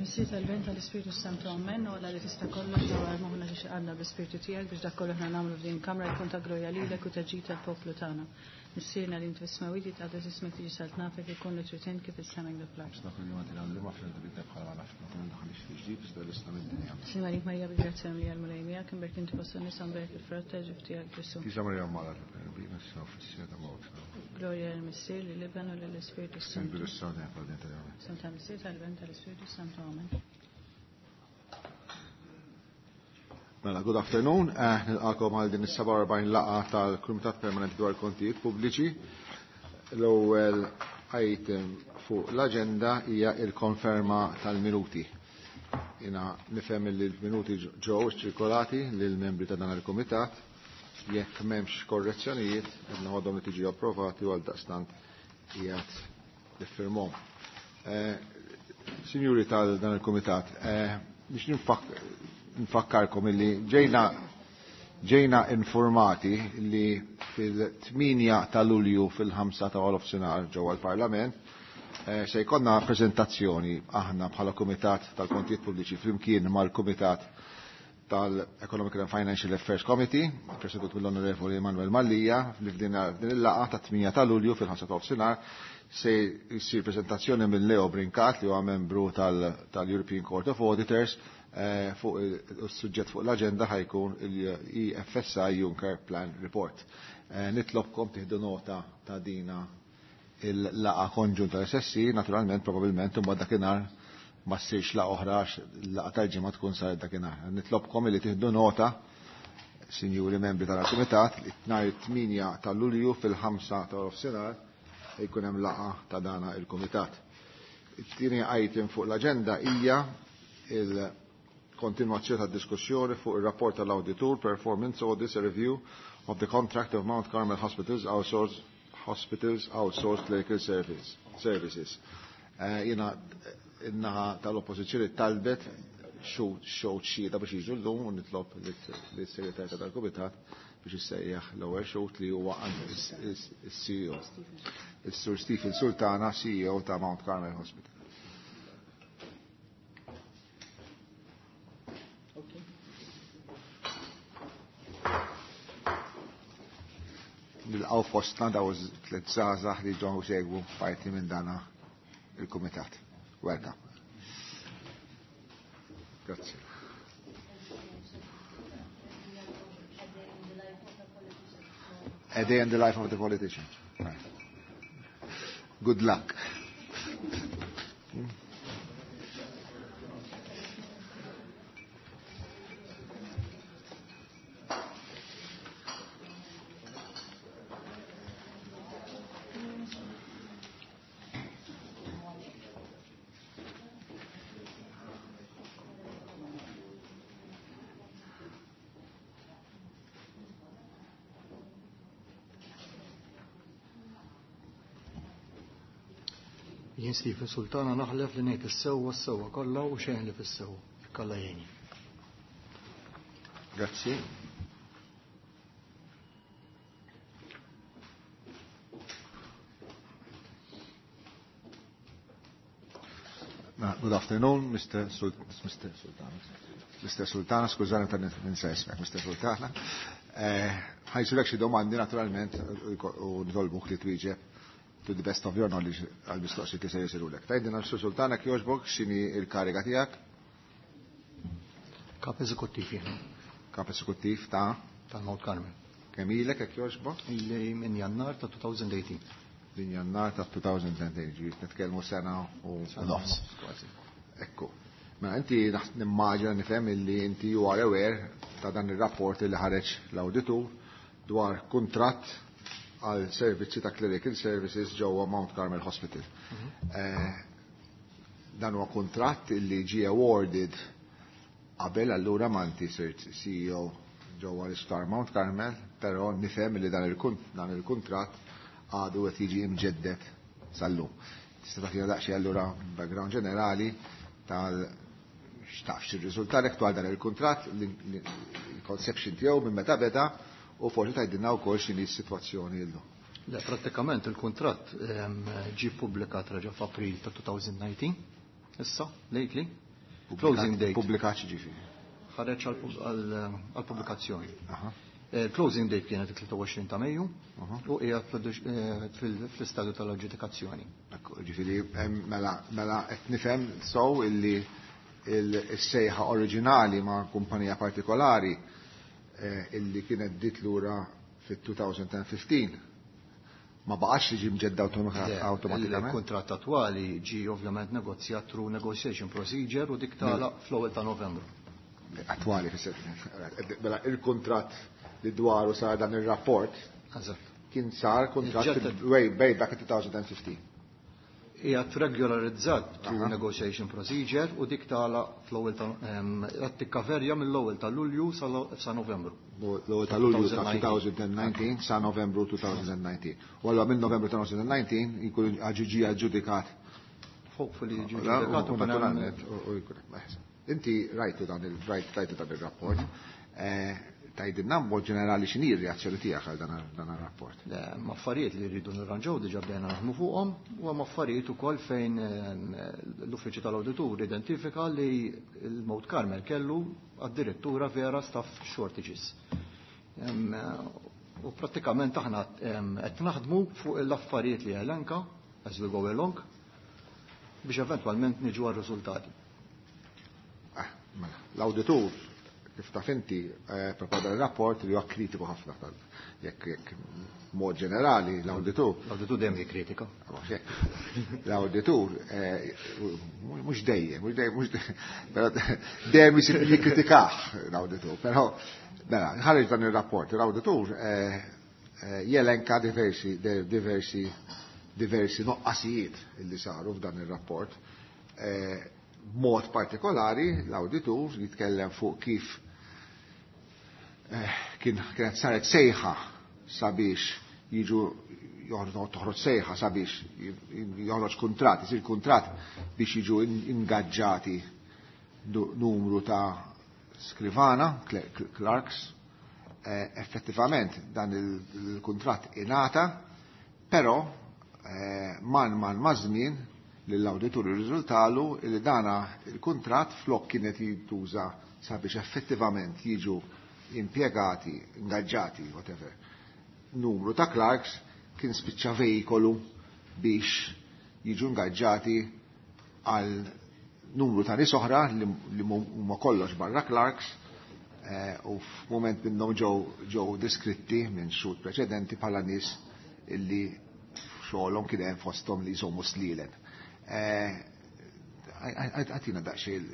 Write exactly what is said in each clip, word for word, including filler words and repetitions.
Tal-Missier, tal-Iben, tal-Ispirtu Santu, Amen. U Alla li tista' kollox dawwar moħħna xi għandna bl-Ispirtu tiegħek biex dak kollu aħna nagħmlu f'din kamra jkun ta' glorja lilek u ta' ġid tal-poplu tagħna. Missierna li inti fis-smewwiet, jitqaddes ismek, tiġi saltnatek, ikun li trid int kif is-sema hekk fl-art. Aħna kull jum għatina l-lum aħfir dnubietna bħalma aħna naħfru ġdid iżda ħlisna mid-dinja. Sliem għalik Marija, bil-grazzja mimlija, l-Mulej miegħek, imbierka inti fost in-nisa, mberek il-frott tal-ġuf tiegħek Ġesù. Qaddisa Marija Omm Alla, itlob għalina issa u fis-siegħa ta' mewtna. Glorja lill-Missier, lill-Iben u lill-Ispirtu Santu. Fil-bidu issa u dejjem fl-dejjem tal-Amen. Santa Missier, tal-Iben, tal-Ispirtu Santu, Amen. Mela, good afternoon. Eh, nilqakom għal din is-sebgħa u erbgħin laqgħa tal-Kumitat Permanenti dwar Kontijiet Pubbliċi. L-ewwel item fuq l-aġenda hija il-konferma tal-minuti. Jiena nifhem li l-minuti ġew ċirkolati lill-membri ta' dan il-kumitat. Jekk m'hemmx korrezzjonijiet, qed noħodhom li tiġi approvati u għaldaqstant qiegħed niffirmhom. Eh, Sinjuri tal dan il-kumitat, eh, biex nfakkarkom illi ġejna ġejna informati li fil-tmienja ta' Lulju fil-ħamsa ta' nofsinhar ġewwa l-Parlament eh, se jkollna preżentazzjoni aħna bħala Kumitat tal-Kontijiet Pubbliċi flimkien mal-Kumitat tal-Economic and Financial Affairs Committee, presedut mill-Onorevoli Emanuel Mallia, li f'din il-laqgħa ta' tmienja ta' Lulju fil-ħamsa ta' nofsinhar se jsir preżentazzjoni minn Leo Brincat, li huwa membru tal-European Court of Auditors, eh, fuq il-suġġett fuq l-aġenda ħa jkun il-E F S I Juncker Plan Report. Eh, nitlobkom tieħdu nota ta' dina il-laqgħa konġunta tal-S S C, naturalment, probabilment, imbagħad dakinhar ma ssirx laqgħa oħra, laqgħa tal-ġimgħa tkun saret dakinhar. Nitlobkom li tieħdu nota, sinjuri membri tal-Kumitat, li nhar it-tmienja ta' Lulju fil-ħamsa ta' nofsinhar jkun hemm laqgħa ta' dana il-Kumitat. It-tieni item fuq l-aġenda hija il-kontinuazzjoni ta' diskussjoni fuq ir-rapport tal-Auditur Performance Audits, a Review of the Contract of Mount Carmel Hospitals Outsourced Hospitals Outsourced Clinical Service, Services. Uh, Jiena in-naħa tal-oppożizzjoni talbet xhud xhieda biex jiġu llum u nitlob lis-segretarja tal-Kumitat biex issejjaħ l-ewwel xhud li huwa is-C E O. Is-Sur Stephen Sultana, C E O ta' Mount Carmel Hospital. Nilqgħu fostna daw tliet żgħażagħ li ġew segwu parti minn dana il-kumitat. Welcome. Grazzi. A day in the life of the politician. Right. Good luck. Jien Stephen Sultana naħlef li ngħid is-sewwa, s-sewwa kollha u xejn ħlief is-sewwa. Alla jgħinni. Grazzi. Good afternoon, Mister Sul Mister Sultana. Mister Sultana, skużani ta' ninsa ismek, Mister Sultana. Ħa jsirulek xi domandi naturalment u nitolbuk li twieġeb to the best of your knowledge għal-mistoqsijiet li se jsirulek. Tgħidilna, Sur Sultana, jogħġbok, x'inhi il-kariga tiegħek? Kap eżekuttiv jiena. Kap eżekuttiv ta' Tal-Mount Carmel. Kemm ilek, jekk jogħġbok? Ili minn Jannar ta' elfejn u tmintax. Minn Jannar ta' elfejn u tmintax, ġifieri nitkellmu sena u nofs. Kważi. Ekku. Ma inti nimmaġina nifhem illi inti you are aware ta' dan ir-rapport li ħareġ l-awditur dwar kuntratt għal servizzi ta' clerical services ġewwa Mount Carmel Hospital. Eh, dan huwa kuntratt illi ġie awarded qabel allura ma inti sirt C E O ġewwa l-Isptar Mount Carmel, però nifhem li dan il-kuntratt għadu qed jiġi imġeddet sal-lum. Tista' tagħtina daqsxejn allura background ġenerali tal x'taf x'irriżultalek dwar dan il-kuntratt, il-conception tiegħu minn meta beda u forsi tgħidilna wkoll x'inhi s-sitwazzjoni llum. Le, prattikament il-kuntratt ġie ppubblikat reġa' f'April ta' elfejn u dsatax, issa, lately. Closing date. Pubblikat ġifieri. Ħareġ għall-pubblikazzjoni. Il-closing date kienet it-tlieta u għoxrin ta' Mejju u qiegħed fl-istadju tal-aġġudikazzjoni. Ġifieri mela mela qed nifhem sew illi il-sejħa oriġinali ma' kumpanija partikolari illi kienet bdiet lura fit-elfejn u ħmistax ma baqax li ġie mġedda awtomatikament. Il-kuntratt attwali ġie ovvjament negozjat through negotiation procedure u dik tagħlaq fl-ewwel ta' Novembru. Attwali fis mela il-kuntratt li dwaru sar dan ir-rapport kien sar kuntratt way way back in twenty fifteen. Qiegħed regolarizzat through negotiation procedure u dik tagħlaq fl-ewwel ta' qed tikkaverja mill-ewwel ta' Lulju sa Novembru. L-ewwel ta' Lulju ta' twenty nineteen sa Novembru twenty nineteen. U allura minn Novembru twenty nineteen jkun ġie aġġudikat. Hopefully ġie ġudikat u naturalment u jkun Inti rajtu dan il-rajtu dan ir-rapport. Tgħidilna b'mod ġenerali x'inhi r-reazzjoni tiegħek għal dan ir-rapport? Le, hemm affarijiet li rridu nirranġaw diġà bdejna naħdmu fuqhom u hemm affarijiet ukoll fejn l-Uffiċċju tal-Awditur identifika li l-Mount Carmel kellu addirittura vera staff shortages. U prattikament aħna qed naħdmu fuq l-affarijiet li elenka as we go along biex eventwalment niġu għar-riżultati. Mela, l-awditur kif taf inti prepara rapport li huwa kritiku ħafna tal jekk jekk mod ġenerali l-awditur. L-awditur dejjem jikkritika. L-awditur mhux dejjem, mhux dejjem, mhux però dejjem isib jikkritikah l-awditur, però mela ħareġ dan ir-rapport, l-awditur jelenka diversi diversi diversi noqqasijiet li saru f'dan ir-rapport. B'mod partikolari l-awditur jitkellem fuq kif kien kienet saret sejħa sabiex jiġu toħroġ sejħa sabiex joħroġ kuntratt, isir kuntratt biex jiġu ingaġġati numru ta' skrivana, clerks. Effettivament dan il-kuntratt ingħata, però man man ma' żmien lill-awditur irriżultalu li dana il-kuntratt flok kienet jintuża sabiex effettivament jiġu impjegati, ingaġġati, whatever, numru ta' clerks kien spiċċa vejkolu biex jiġu ingaġġati għal numru ta' nies oħra li huma kollox barra clerks u f'mument minnhom ġew ġew deskritti minn xhur preċedenti bħala nies illi xogħolhom kien hemm fosthom li jżommu slielen. Għatina daqsxejn,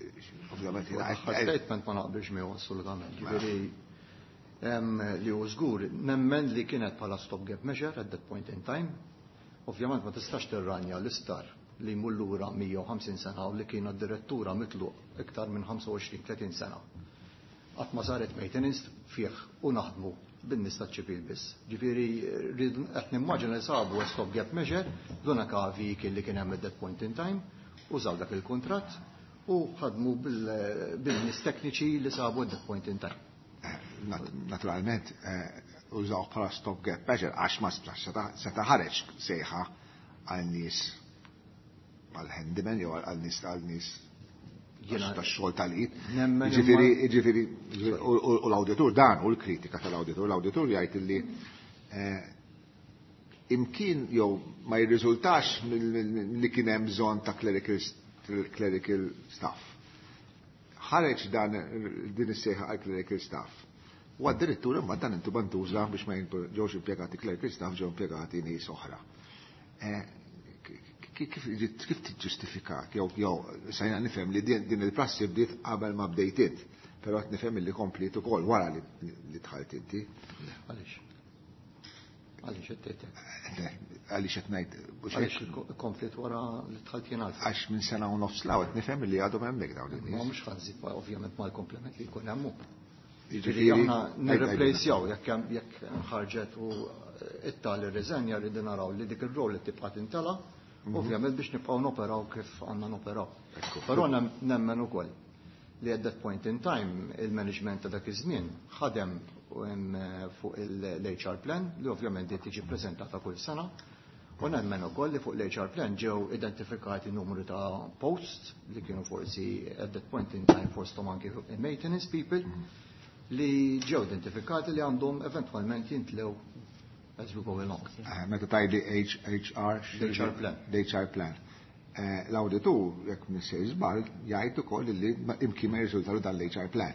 ovvjament. Statement ma naqbilx miegħu assolutament. Ġifieri li hu żgur, nemmen li kienet bħala stopgap measure at that point in time. Ovvjament ma tistax tirranja l-istar li jmur lura mija u ħamsin sena u li kienu d-direttura mitluq iktar minn ħamsa u għoxrin tletin sena. Qatt ma saret maintenance fih u naħdmu bin-nies taċ-ċivil biss. Ġifieri qed nimmaġina li sabu stopgap measure l-unika vehicle li kien hemm at that point in time, użaw dak il-kuntratt u ħadmu bil-nies tekniċi li sabu at that point in time. Naturalment, użaw bħala stopgap measure għax ma seta' ħareġ sejħa għal nies għal handyman jew għal nies għal nies tax-xogħol tal-id. Ġifieri, ġifieri, u l-awditur dan u l-kritika tal-awditur, l-awditur jgħid illi imkien jew ma jirriżultax li kien hemm bżonn ta' clerical staff. Ħareġ dan din is-sejħa għal clerical staff. U addirittura imma dan intu bantuża biex ma ġewx impjegati clerical staff, ġew impjegati nies oħra. Kif kif tiġġustifika jew jew sajna nifhem li din il-prassi bdiet qabel ma bdejt int, però qed nifhem li kompliet ukoll wara li dħalt inti. Għaliex? Għaliex qed tgħid? Għaliex qed ngħid Għaliex kompliet wara li dħalt jien għalfejn? Għax minn sena u nofs law qed nifhem li għadhom hemmhekk dawn in-nies. Ma mhux ħanżid ovvjament mal-komplement li jkun hemm hu. Jiġifieri aħna nirreplejsjaw jekk jekk ħarġet u it-tali riżenja rridu naraw li dik ir-rol li tibqa' tintela', ovvjament biex nibqgħu noperaw kif għandna noperaw. Però nemmen ukoll li at that point in time il-management ta' dak iż-żmien ħadem fuq l-H R plan li ovvjament qed tiġi ppreżentata kull sena U nemmen ukoll li fuq l-H R plan ġew identifikati numru ta' posts li kienu forsi at that point in time fosthom anki maintenance people li ġew identifikati li għandhom eventwalment jintlew as we go along. Eh, meta tgħidli H R L-H R plan. L-H R plan. Eh, l-awditur, jekk m'iniex sejjer żball, jgħid ukoll li imkien ma jirriżultalu dan l-H R plan.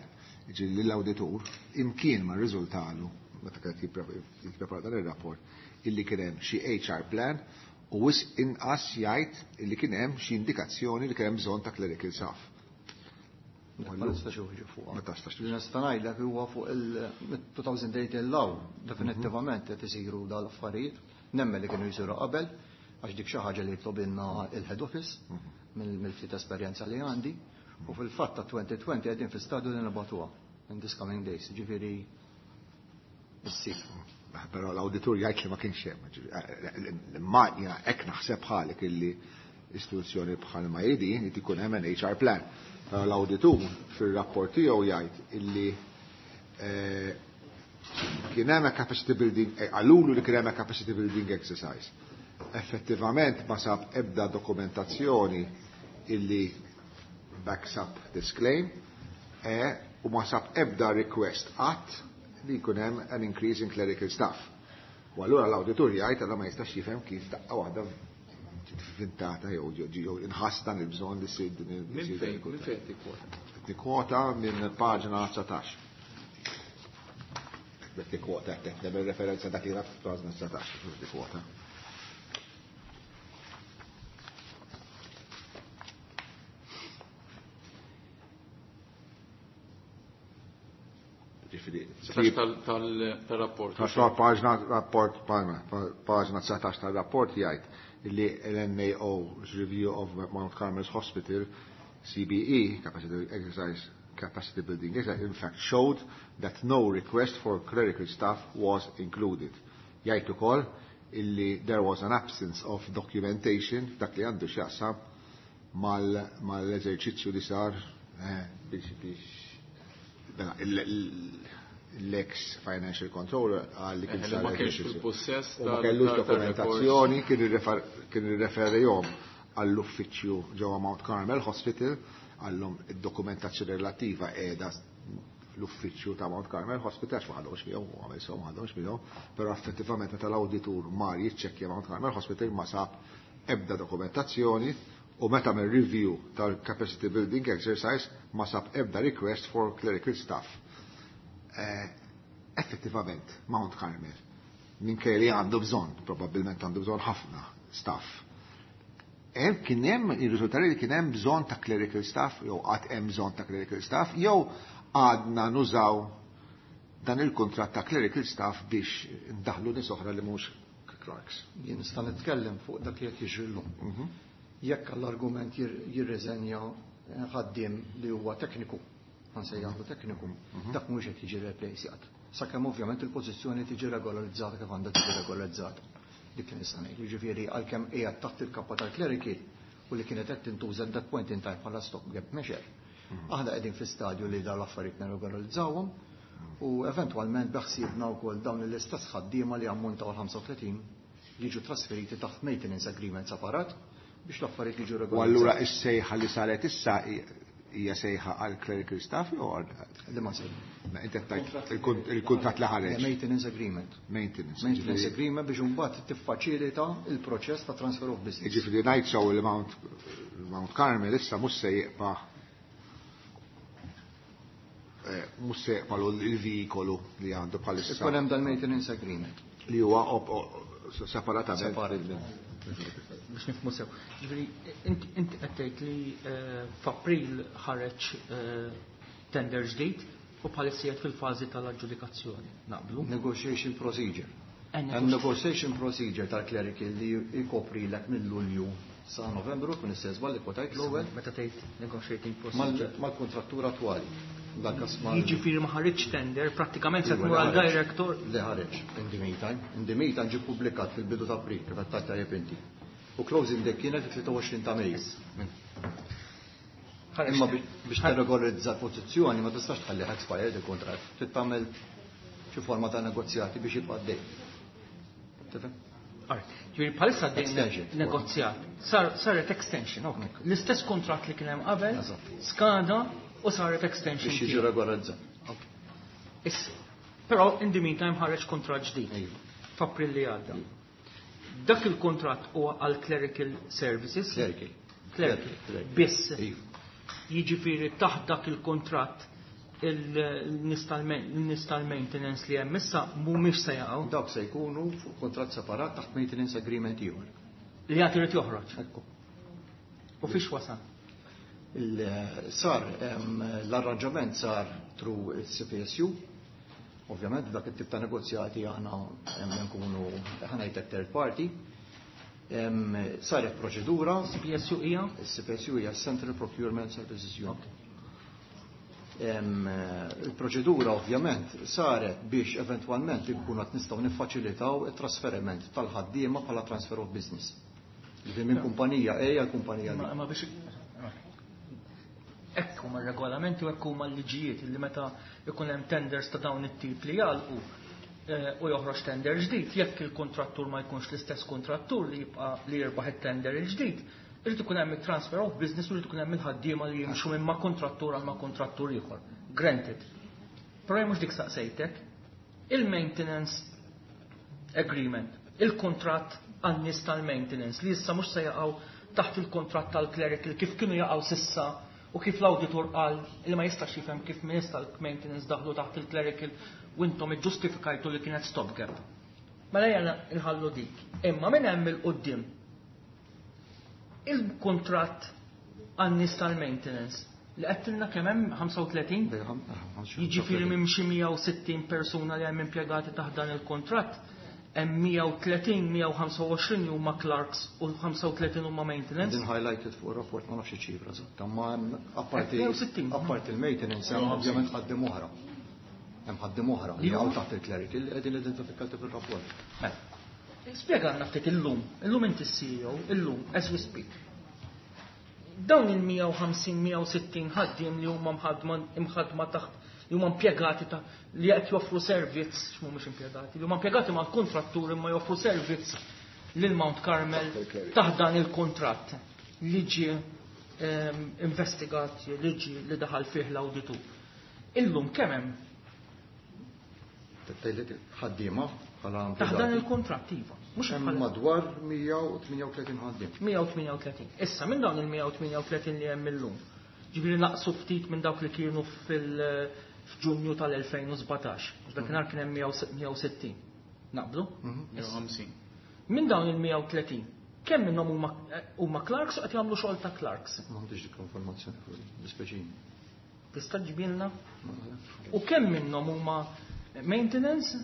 Ġifieri l-awditur imkien ma rriżultalu meta kienet jipprepara dan ir-rapport illi kien hemm xi H R plan u wisq inqas jgħid illi kien hemm xi indikazzjoni li kien hemm bżonn ta' clerical staff. Ma nistax uħġu fuq. Ma tistax. Li nista' ngħidlek huwa fuq il-elfejn u tmintax law definittivament qed isiru dal-affarijiet. Nemmen li kienu jsiru qabel għax dik xi ħaġa li jitlobilna il-head office mill-ftit esperjenza li għandi u fil-fatt ta' elfejn u għoxrin qegħdin fi stadju li nibagħtuha in this coming days, ġifieri issir. Però l-awditur jgħid li ma kienx hemm. Ma jiena hekk naħseb bħalek illi istituzzjoni bħal ma hi din li ikun hemm an H R plan. Però l-awditur fir-rapport tiegħu jgħid illi eh, kien hemm a capacity building, eh, qalulu li kien hemm a capacity building exercise. Effettivament ma sab ebda dokumentazzjoni illi backs up this claim eh, u ma sab ebda request qatt li jkun hemm an increase in clerical staff. U allura l-awditur jgħid allura ma jistax jifhem kif daqqa waħda ġiet vintata jew jew inħass dan il-bżonn li ssir din il- Minn issir fejn, din minn fejn tikkwota? Tikkwota minn paġna dsatax. Bek tikkwota, qed nagħmel referenza dak li f'paġna dsatax, tikkwota. Ġifieri, Tal-rapport. Tal paġna rapport, paġna dsatax tal-rapport jgħid li l-N A O's review of Mount Carmel's Hospital C B E, Capacity Exercise, Capacity Building Exercise, in fact showed that no request for clerical staff was included. Jgħid ukoll illi there was an absence of documentation dak li għandu x'jaqsam mal-eżerċizzju li sar eh, biex biex mela, l-ex financial controller qal li kien Eh, sar ma kienx eżerċizzju. fil-possess U ma tal- kellux tal- dokumentazzjoni, kien irrefer- kien irreferihom għall-uffiċċju ġewwa Mount Carmel Hospital, għallhom id-dokumentazzjoni relattiva qiegħda l-uffiċċju ta' Mount Carmel Hospital, għax ma ħadhomx miegħu, u għamel sew ma ħadhomx miegħu, però effettivament meta l-awditur mar jiċċekkja Mount Carmel Hospital ma sab ebda dokumentazzjoni u meta għamel review tal-capacity building exercise ma sab ebda request for clerical staff. Eh, effettivament, Mount Carmel, minkejja li għandu bżonn, probabbilment għandu bżonn ħafna staff. Hemm kien hemm ir-riżultati li kien hemm bżonn ta' clerical staff, jew qatt hemm bżonn ta' clerical staff, jew għadna nużaw dan il-kuntratt ta' clerical staff biex ndaħlu nies oħra li mhux clerks. Jien nista' nitkellem fuq dak li qed jiġri llum. Jekk għall-argument jirriżenja ħaddiem li huwa tekniku, ħansejjaħlu tekniku, dak mhux qed jiġi replaceat. Sakemm ovvjament il-pożizzjoni tiġi regolarizzata kif għandha tiġi regolarizzata. Dik li nista' ngħid. Jiġifieri għalkemm qiegħed taħt il-kappa tal-clerical u li kienet qed tintuża at that point in time bħala stop gap measure. Aħna qegħdin fi stadju li dawn l-affarijiet nirregolarizzawhom u eventwalment beħsiebna wkoll dawn l-istess ħaddiema li ammontaw ħamsa u tletin jiġu trasferiti taħt maintenance agreement separat biex l-affarijiet jiġu U allura regolarizzati. is-sejħa li saret issa hija sejħa għal clerical staff jew għal Li ma sejħa. Ma inti qed tgħid il-kuntratt li ħareġ. Maintenance agreement. Maintenance. Maintenance agreement biex imbagħad tiffaċilita il-proċess ta' transfer of business. Jiġifieri ngħid sew il Mount Mount Carmel issa mhux se jibqa' eh, mhux se jibqa' il-veikolu li għandu bħalissa. Ikun hemm dal-maintenance agreement. Li huwa separatament. Separat. Biex nifhmu sew. Ġifieri, inti inti qed tgħid li eh, f'April ħareġ eh, tender ġdid u bħalissa qiegħed fil-fażi tal-aġġudikazzjoni. Naqblu? Negotiation procedure. Eh, Hemm negotiation procedure tal-clerical li jkopri lek minn Lulju sa Novembru, kun istess li kwotajt l-ewwel Meta tgħid negotiating procedure. mal-kontrattur attwali. Dak mal Jiġifieri ma ħareġ tender, prattikament se tmur għal director. Li ħareġ in the meantime. In the meantime ġie pubblikat fil-bidu ta' April, kif qed tajjeb inti. U closing date kienet it-tlieta u għoxrin ta' Mejju. Ħareġ Imma tender. biex tirregolarizza l-pożizzjoni ma tistax tħalli expired il-kontratt. Trid tagħmel xi forma ta' negozjati biex jibqa' għaddej. Tifhem? Ġifieri bħalissa għaddejn Extension. negozjat. Sar, saret extension, ok. L-istess kontrat li kien hemm qabel, Eżatt. skada u saret extension. Biex jiġi tiegħu. regolarizzat. Issa, però in the meantime ħareġ kontrat ġdid Iva. f'April li għadda. Dak il-kontrat huwa għal clerical services. Clerical. Clerical. Clerical. Biss. Iva. Jiġifieri taħt dak il-kontratt il-nies tal-maintenance li hemm issa mhumiex se jaqgħu Dawk se jkunu fuq kontratt separat taħt maintenance agreement ieħor. li għad irid joħroġ. Ekku. U fiex wasal? Il- Sar, em, l-arranġament sar through il-C P S U. Ovvjament, dak it-tip ta' negozjati aħna em, nkunu, ħa ngħidlek, third party. Em, Saret proċedura, C P S U hija? il-C P S U hija Central Procurement Services Unit. Em, Il-proċedura ovvjament saret biex eventwalment inkunu qed nistgħu niffaċilitaw it-trasferiment tal-ħaddiema bħala transfer of business. Ġifieri minn kumpanija A għal kumpanija B. Ma ma biex hekk huma r-regolamenti u hekk huma l-liġijiet li meta ikun hemm tenders ta' dawn it-tip li jagħlqu eh, u joħroġ tender ġdid, jekk il-kontrattur ma jkunx l-istess kontrattur li jibqa' li jirbaħ it-tender il-ġdid, irid ikun hemm il-transfer of business u jrid ikun hemm il-ħaddiema li jimxu minn ma' kontrattur għal ma' kontrattur ieħor. Granted. Però jien mhux dik saqsejtek. Il-maintenance agreement, il-kontratt għan-nies tal-maintenance li issa mhux se jaqgħu taħt il-kontratt tal-clerical kif kienu jaqgħu s'issa u kif l-auditor qal li ma jistax jifhem kif nies tal-maintenance daħlu taħt il-clerical u intom iġġustifikajtu li kienet stopgap. Mela jena nħallu dik. Imma minn hemm 'il quddiem il-kontratt għan-nies tal-maintenance li għedtilna kemm hemm ħamsa u tletin. Jiġifieri minn xi mija u sittin persuna li hemm impjegati taħt dan il-kontratt, hemm mija u tletin, mija u ħamsa u għoxrin li huma clerks u ħamsa u tletin huma maintenance. Din highlighted fuq il-rapport, ma nafx ċifra eżatta, ma hemm apparti mija u sittin. Apparti il-maintenance hemm ovvjament ħaddiem oħra. Hemm ħaddiem oħra li Li huma? hawn taħt il-clerical li qegħdin identifikati fil-rapport. Mela, spjegalna ftit illum, illum inti C E O, illum, as we speak. Dawn il-mija u ħamsin, mija u sittin ħaddiem li huma mħadma imħadma taħt li huma impjegati ta' li qed joffru servizz, mhumiex impjegati, li huma impjegati mal-kontratturi imma joffru servizz lil Mount Carmel taħt dan il-kontratt li ġie ehm, investigat, li ġie li daħal fih l-awditur. Illum kemm hemm Tgħidli ħaddiema bħala taħt dan impjegati. il-kontratt, iva? Mhux Hemm bħala madwar mija u tmienja u tletin ħaddiem. mija u tmienja u tletin. Issa minn dawn il-mija u tmienja u tletin li hemm illum, ġifieri naqsu ftit minn dawk li kienu fil- f'Ġunju tal-elfejn u sbatax. Għax dakinhar kien hemm mija u sittin. Naqblu? Issa. mija u ħamsin. Minn dawn il-mija u tletin, kemm minnhom huma huma clerks u qed jagħmlu xogħol ta' clerks? M'għandix dik l-informazzjoni fuq l-ispeċini. Tista' ġibilna? U kemm minnhom huma maintenance?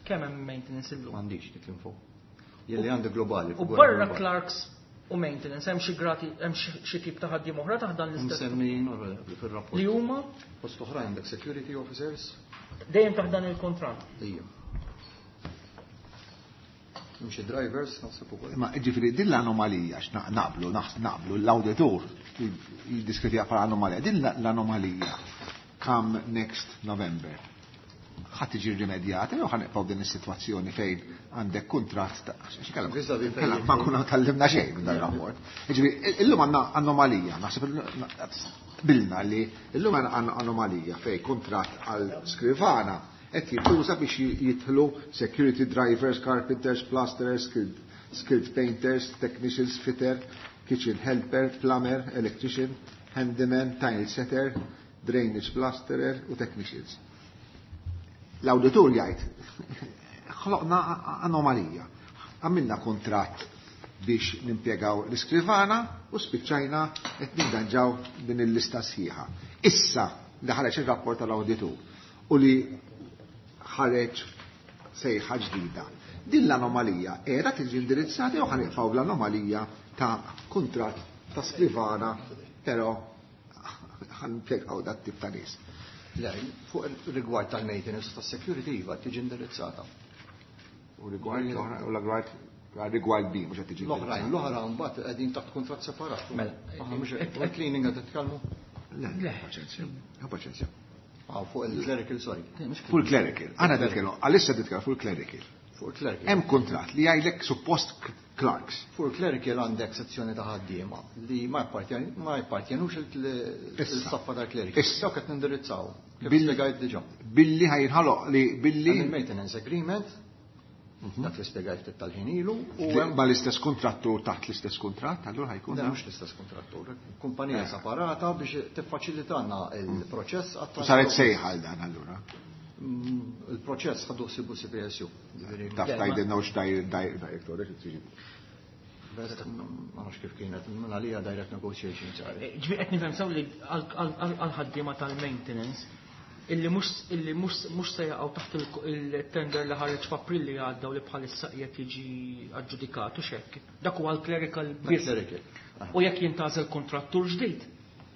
Kemm hemm maintenance illum? M'għandix dik l-info. Jelli għandi globali. U figura barra globali. clerks u maintenance, hemm xi grati, hemm xi xi tip ta' ħaddiem oħra taħt dan l-istess Msemmijin fil-rapport. li huma Fost oħrajn għandek security officers. dejjem taħt dan il-kontratt? Ija. Hemm xi drivers naħseb ukoll. Ma ġifieri din l-anomalija, x naqblu, naħs- naqblu, l-auditur jiddeskriviha bħala anomalija. Din l-anomalija, come next November, ħa tiġi rimedjata jew ħa nibqgħu din is-sitwazzjoni fejn għandek kuntratt ta' xi kellem- Vis-à-vis fejn- kellem ma nkunu tgħallimna xejn minn dan ir-rapport. Ġifieri illum għandna anomalija, naħseb bilna li illum għandna anomalija fejn kuntratt għal skrivana qed jintuża biex jidħlu security drivers, carpenters, plasterers, skilled, skilled painters, technicians, fitter, kitchen helper, plumber, electrician, handyman, tile setter, drainage plasterer u technicians. L-auditur jgħid, ħloqna anomalija. Għamilna kontratt biex nimpjegaw l-iskrivana u spiċċajna qed ninganġaw din il-lista sħiħa. Issa li ħareġ ir-rapport tal-awditur u li ħareġ sejħa ġdida. Din l-anomalija era tiġi indirizzata jew ħa nibqgħu l-anomalija ta' kuntratt ta' skrivana, però ħa nimpjegaw dat tip ta' nies? Le, fuq il-rigward tal-maintenance tas-security iva tiġi indirizzata. U rigward l-oħra, u l-rigward rigward B mhux qed tiġi L-oħrajn, indirizzata. l-oħra mbagħad qegħdin taħt kuntratt separat. Mela, Aħna mhux fuq il-cleaning qed titkellmu? Le, le, paċenzja. Paċenzja. Ah, fuq il-clerical, sorry. Full clerical. Għana nitkellmu, għalissa nitkellmu full clerical. Fuq clerical. Hemm kuntratt li jgħidlek suppost clerks. Fuq clerical għandek sezzjoni ta' ħaddiema li ma jappartjenux il-saffa tal-clerical. Issa. Dawk qed nindirizzaw. Kif Billi spjegajt diġà. Billi ħajnħaloq li billi Hemm il-maintenance agreement, dak li spjegajt ftit tal-ħin ilu, u Li hemm ma l-istess kontrattur taħt l-istess kuntratt, allura ħajkun Le, da? mhux l-istess kontrattur, kumpanija separata biex tiffaċilitanna il-proċess għat- U saret sejħa għal dan allura. Mm, Il-proċess ħadu ħsibu C P S U. Ġifieri, Taf tgħidilna hux director, xi tiġi. Ma nafx kif kienet, minn għalija direct negotiation saret. Ġifieri qed nifhem sew li għal-ħaddiema tal-maintenance illi mhux illi mhux mhux se jaqgħu taħt il-tender li ħareġ f'April li għadda u li bħalissa qiegħed jiġi aġġudikat u x'hekk. Dak huwa l-clerical Dak biss. clerical. U jekk jintgħażel kontrattur ġdid,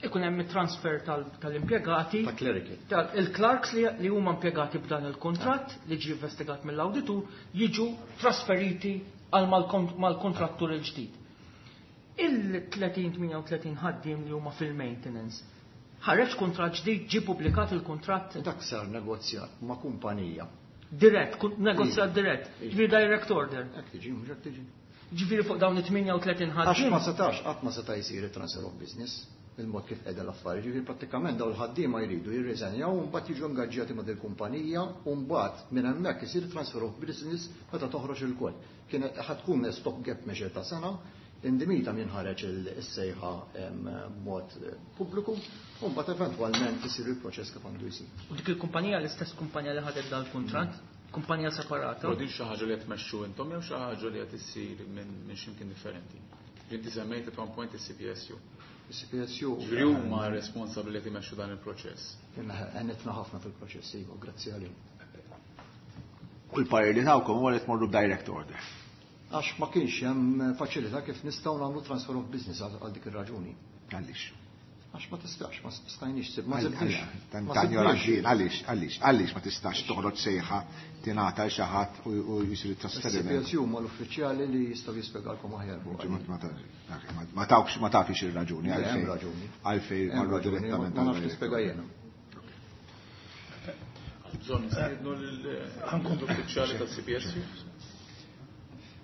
ikun hemm it-transfer tal-, tal-impjegati. Ta' clerical. Ta' il-clerks li, li huma impjegati b'dan il-kontratt li ġie investigat mill-awditur jiġu trasferiti għal mal-kont-, mal-kontrattur il-ġdid. Il-tletin, tmienja u tletin ħaddiem li huma fil-maintenance. Ħareġ kuntratt ġdid, ġie pubblikat il-kuntratt. Dak sar negozjat ma' kumpanija. Dirett, kun-, negozjat Iva. dirett. Iva. Ġifieri direct order. Hekk tiġi, mhux hekk tiġi. Ġifieri fuq dawn it-tmienja u tletin Għax ħaddiem. ma setax, qatt ma seta' jsir it-transfer of business, il-mod kif qiegħda l-affarijiet. Ġifieri prattikament dawn il-ħaddiema jridu jirriżenjaw u mbagħad jiġu ingaġġjati ma' dil-kumpanija u mbagħad minn hemmhekk isir transfer of business meta toħroġ il-kol. Kienet ħad tkun stop gap measure ta' sena, indimita min ħareġ il-sejħa b'mod pubbliku u mbagħad eventwalment isir il-proċess kif għandu jsir. U dik il-kumpanija l-istess kumpanija li ħadet dal-kuntratt, kumpanija separata. Però din xi ħaġa li qed tmexxu intom jew xi ħaġa li qed issir minn, minn x'imkien differenti. Inti semmejt at one point is-C P S U. Is-C P S U. Ġifieri huma responsabbli li jmexxu dan il-proċess. Għenitna ħafna fil-proċess, iva, grazzi għalihom. U l-parir li tawkom huwa li tmorru b'direct order. Għax ma kienx hemm faċilità kif nistgħu nagħmlu transfer of business għal, għal dik ir-raġuni. Għaliex? Għax ma tistax, ma stajniex sib, ma Għal- sibniex. għal- tan- Ma tan- sibniex. għaliex, għaliex, għaliex, għaliex ma tistax toħroġ sejħa tingħata l xi ħadd u, u jsir it-trasferiment. Is-C P S U huma l-uffiċjali li jistgħu jispjegalkom aħjar fuq Ma-, ma-, ma-, ma tawx, ma tafix ir-raġuni Le, hemm għalfejn. raġuni. Għalfejn Hemm marru raġuni, direttament ma nafx għal nispjega jiena. Bżonn nistiednu l-uffiċjali tas-C P S U.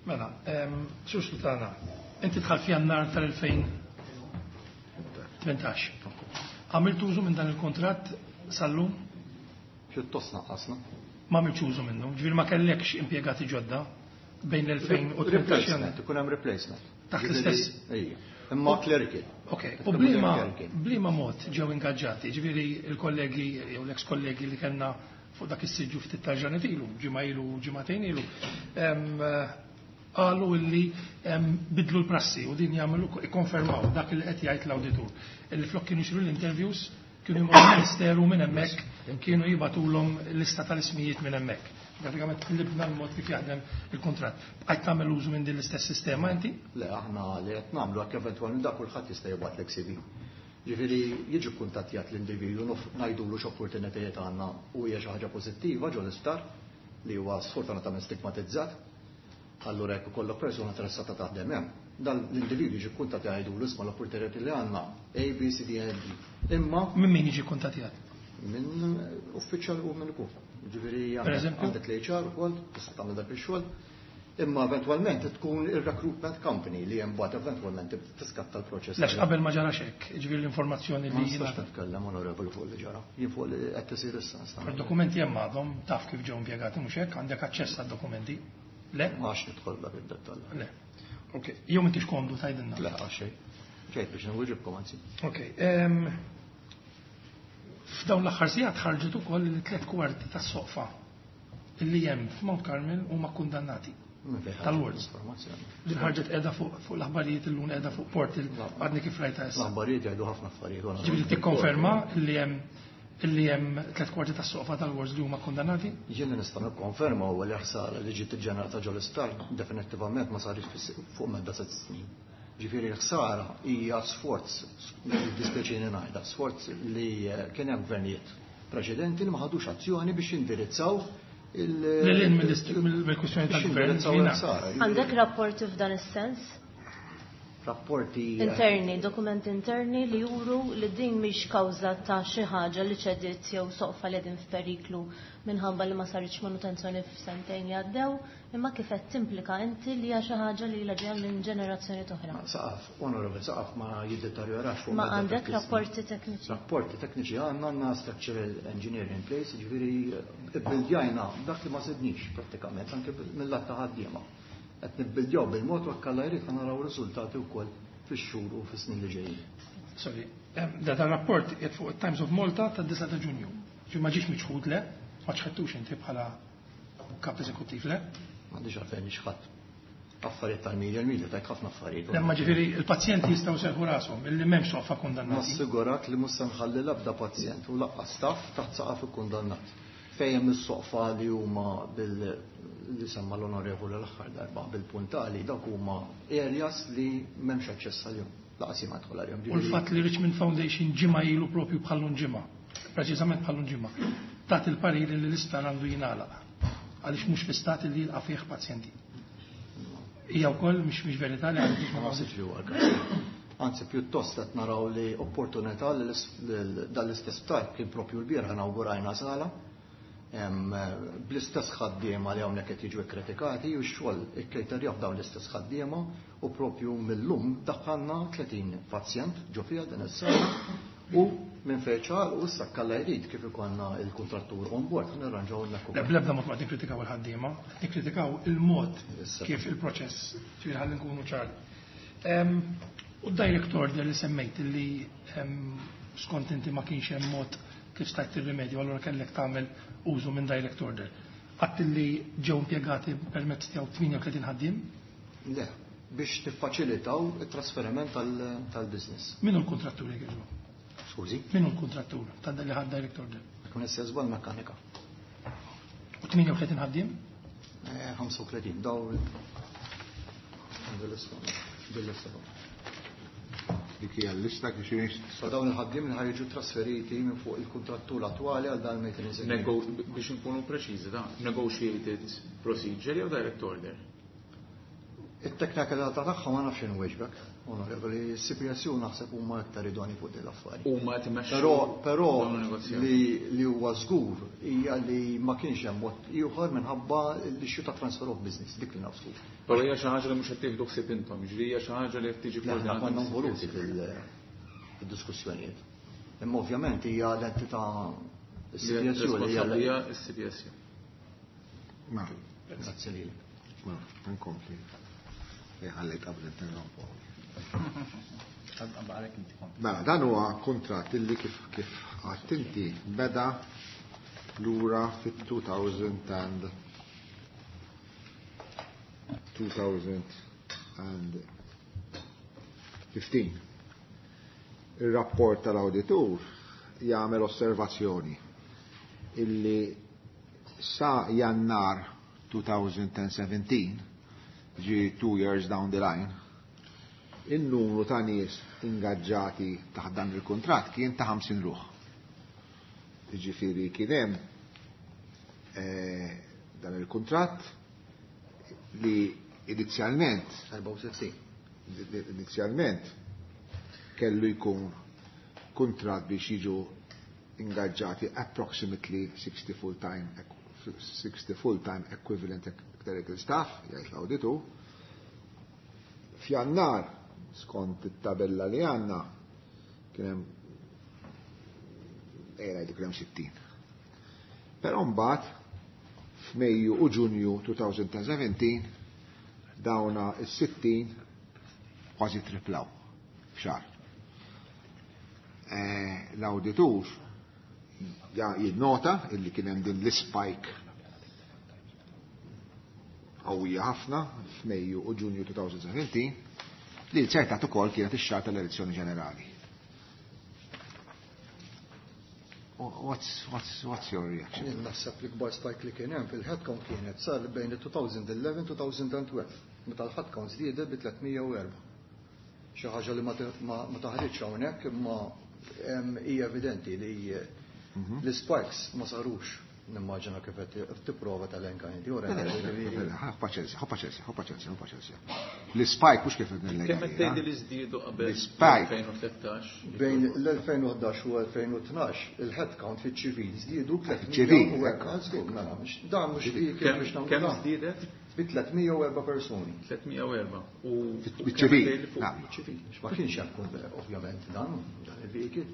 Mela, ehm, Sur Sultana, inti dħalt f'Jannar tal-elfejn tmintax. Għamilt użu minn dan il-kontratt sal-lum? Pjuttost naqqasna. Ma għamiltx użu minnu, ġifieri ma kellekx impjegati ġodda bejn l-elfejn u tmintax Replacement, Jannar. ikun hemm replacement. Taħt Ġifieri, l-istess. Ejja. Imma clerical. Ok, Qed u tkun bliema clerical. bliema mod ġew ingaġġati, ġifieri il-kollegi jew l-ex kollegi li kellna fuq dak is-siġġu ftit ta' ġranet ilu, ġimgħa ilu, ġimagħtejn ilu, em, qalu illi, em, bidlu l-prassi u din jagħmlu ikkonfermaw dak li qed jgħid l-awditur. Illi flok kienu jsiru l-interviews, kienu jmorru l-Ministeru minn hemmhekk, kienu jibgħatulhom lista tal-ismijiet minn hemmhekk. Pratikament qlibna l-mod kif jaħdem il-kuntratt. Bqajt tagħmel użu minn din l-istess sistema inti? Le, aħna li qed nagħmlu hekk eventwalment dak kulħadd jista' jibgħatlek C V. Ġifieri jiġu kuntattjat l-individwu nuf-, ngħidulu x'opportunitajiet għandna u hija xi ħaġa pożittiva ġol isptar li huwa sfortunatament stigmatizzat. Allura jekk ikollok persuna interessata taħdem hemm, dan l-individwu jiġi kuntattjat jgħidulu isma' l-opportunitajiet li għandna A, B, C, D, E, D. Imma minn min jiġi kuntattjat? Minn uffiċjal u minn ikun. Ġifieri Per għandek eżempju? għandek l-H R ukoll, tista' tagħmel dak ix-xogħol. Imma eventwalment tkun ir-recruitment company li hemm mbagħad eventwalment tiskatta l-proċess. Lex qabel ma ġara xek, ġifieri l-informazzjoni Ma li nistax jingħata. nitkellem onorevoli fuq li ġara. Jien fuq li qed isir issa nista' Per dokumenti hemm għadhom taf kif ġew impjegati mhux hekk, għandek aċċess għad-dokumenti. Le? Ma għax nidħol dak id-dettall. Le. Ok, jew m'intix komdu tgħidilna. Le, għax xejn. Ġejt biex nwieġibkom anzi. Ok, ehm, f'dawn l-aħħar sigħat ħarġet ukoll li tliet kwarti tas-soqfa li hemm f'Mount Carmel huma kkundannati. Minn fejn ħarġet Tal-Words. l-informazzjoni? Din ħarġet qiegħda fuq, fuq l-aħbarijiet illum qiegħda fuq portal għadni kif rajta issa. L-aħbarijiet jgħidu ħafna affarijiet, u Ġifieri tikkonferma li hemm li hemm tliet kwarti tas-soqfa tal-Words li huma kkundannati? Jien li nista' nikkonferma huwa li ħsara li ġiet iġġenerata ġol isptar definittivament ma sarix fis-, fuq medda sitt snin. Ġifieri l-ħsara hija sforz, dispjaċini ngħidha, sforz li kien hemm gvernijiet preċedenti li ma ħadux azzjoni biex jindirizzaw il- Lil hinn mill-ist-, mill-kwistjoni biex tal-gvern, jindirizzaw jiena. il-ħsara. Għandek rapporti f'dan is-sens? Rapporti interni, dokumenti interni li juru li din mhix kawża ta' xi ħaġa li ċediet jew soqfa li qegħdin f'periklu minħabba li ma saritx manutenzjoni f'sentejn li għaddew, imma kif qed timplika inti li hija xi ħaġa li ilha ġejja minn ġenerazzjoni oħra. Saqaf, onorevole, saqaf ma jiddeterjorax fuq Ma medda ta' għandek ftit snin. Rapporti tekniċi? Rapporti tekniċi għandna, għandna structural engineering in place, ġifieri ibbildjajna dak li ma sidnix prattikament, anke mill-lat ta' ħaddiema. Qed nibbildjaw bil-mod u hekk Alla jrid naraw riżultati wkoll fix-xhur u fis-snin li ġejjin. Sorry, em, da dan rapport qiegħed fuq it-Times of Malta tad-disgħa ta' Ġunju. Ġi ma ġiex miċħud, le? Ma ċħadtux inti bħala kap eżekuttiv, le? M'għandix għalfejn nixħadd. Affarijiet tal-media, il-media tajt ħafna affarijiet. Lemma ġifieri il-pazjenti jistgħu serħu rashom illi m'hemmx soqfa kundannati. Nassigurak li mhux se nħalli l-ebda pazjent u lanqas staff taħt saqaf ikkundannat. Fejn hemm is-soqfa li huma bil li semma l-onorevoli l-aħħar darba bil-puntali, dawk huma areas li m'hemmx aċċess għalihom. Lanqas ma dħol għalihom. U l-fatt li Richmond Foundation ġimgħa ilu, propju bħallum ġimgħa, preċiżament bħallum ġimgħa, tat il-parir li l-isptar għandu jingħalaq għaliex mhux fi stat li jilqa' fih pazjenti. Hija wkoll mhix mhix verità li għandix Ma naħsibx li huwa l-każ. Anzi, pjuttost qed naraw li opportunità li dan l-istess sptar kien propju l-bieraħ inawgurajna sala bl-istess ħaddiema li hawnhekk qed jiġu kkritikati u x-xogħol ikkejterjaw dawn l-istess ħaddiema u propju mill-lum daħħalna tletin pazjent ġo fiha din is-sala u minn fejn ċar u issa kalla jrid kif ikollna il-kontrattur on board nirranġaw hemmhekk ukoll. Bl-ebda mod ma nikkritikaw il-ħaddiema, nikkritikaw il-mod kif il-proċess, ġifieri ħalli nkunu ċari. U direct order li semmejt li skont inti ma kienx hemm mod kif stajt tirrimedju, allura kellek tagħmel użu minn direct order. Għadt li ġew impjegati permezz tiegħu tmienja u tletin ħaddiem? Le, biex tiffaċilitaw it-trasferiment tal-business. Min hu l-kontrattur jekk jogħġbok? Skużi? Min hu l-kontrattur tal li ħad direct order? Kun istess żball mekkanika. U tmienja u tletin ħaddiem? Eh, ħamsa u tletin, daw bil-lista. Dik hija l-lista kif xi So dawn il-ħaddiem li ħajġu trasferiti minn fuq il-kontrattur attwali għal dan maintenance agreement. Biex nkunu preċiżi, da, negotiated procedure jew direct order? It-teknikalità tagħha ma nafx inweġbek, onorevoli, C P S U naħseb huma aktar idoni fuq din l-affari. Huma qed imexxu Però però dawn il-negozjati. li li huwa żgur hija li ma kienx hemm mod ieħor minħabba l-issue ta' transfer of business, dik li naf żgur. Però hija xi ħaġa li mhux qed tieħdu ħsieb intom, ġifieri hija xi ħaġa li qed tiġi Le, aħna koordinata konna mis-C P S U. involuti fil-diskussjonijiet. Imma ovvjament hija l-entità C P S U li hija Responsabbli hija s-C P S U. Ma, Grazzi lilek. Ma, nkompli. Ħalli qabel interrompu. Mela, dan huwa kuntratt illi kif kif għedt inti beda lura fit-two thousand and twenty fifteen. Il-rapport tal-auditur jagħmel osservazzjoni illi sa Jannar twenty seventeen, ġi two years down the line, il-numru ta' nies ingaġġati taħt dan il-kuntratt kien ta' ħamsin ruħ. Ġifieri kien hemm eh, dan il-kuntratt li inizjalment erbgħa u sittin. Inizjalment kellu jkun kuntratt biex jiġu ingaġġati approximately sixty full-time sixty full-time equivalent clerical staff, jgħid l-awditu. F'Jannar, skont it-tabella li għandna, kien hemm, ejja ngħidu, kien hemm sittin. Però mbagħad f'Mejju u Ġunju twenty seventeen dawna is-sittin kważi triplaw f'xahar. Eh, L-awditur jinnota illi kien hemm din l-spike qawwija ħafna f'Mejju u Ġunju twenty seventeen li ċertat ukoll kienet ix-xahar tal-elezzjoni ġenerali. What's, what's, what's your reaction? Jien naħseb li kbar spike li kien hemm fil-headcount kienet sar bejn il-twenty eleven u twenty twelve, meta l-headcount żdiedet bi tliet mija u erbgħa. Xi ħaġa li ma taħriġx hawnhekk, imma hija evidenti li mhm. l-spikes ma sarux Nimmaġina kif qed tipprova telenka inti ora. Paċenzja, paċenzja, paċenzja, paċenzja. L-spike mhux kif qed Kemm qed tgħidi li żdiedu qabel L-spike. elfejn u tlettax? Bejn l-elfejn u ħdax u elfejn u tnax il-headcount fiċ-ċivil żdiedu Fiċ-ċivil, tliet mija u erba'. Żgur, mela, dan mhux kif biex nagħmlu Kemm dan. żdiedet? Bi tliet mija u erba' persuni. tliet mija u erba'. U Fiċ-ċivil, kemm Fiċ-ċivil, ma kienx hemm ovvjament dan, dan il-vehicle.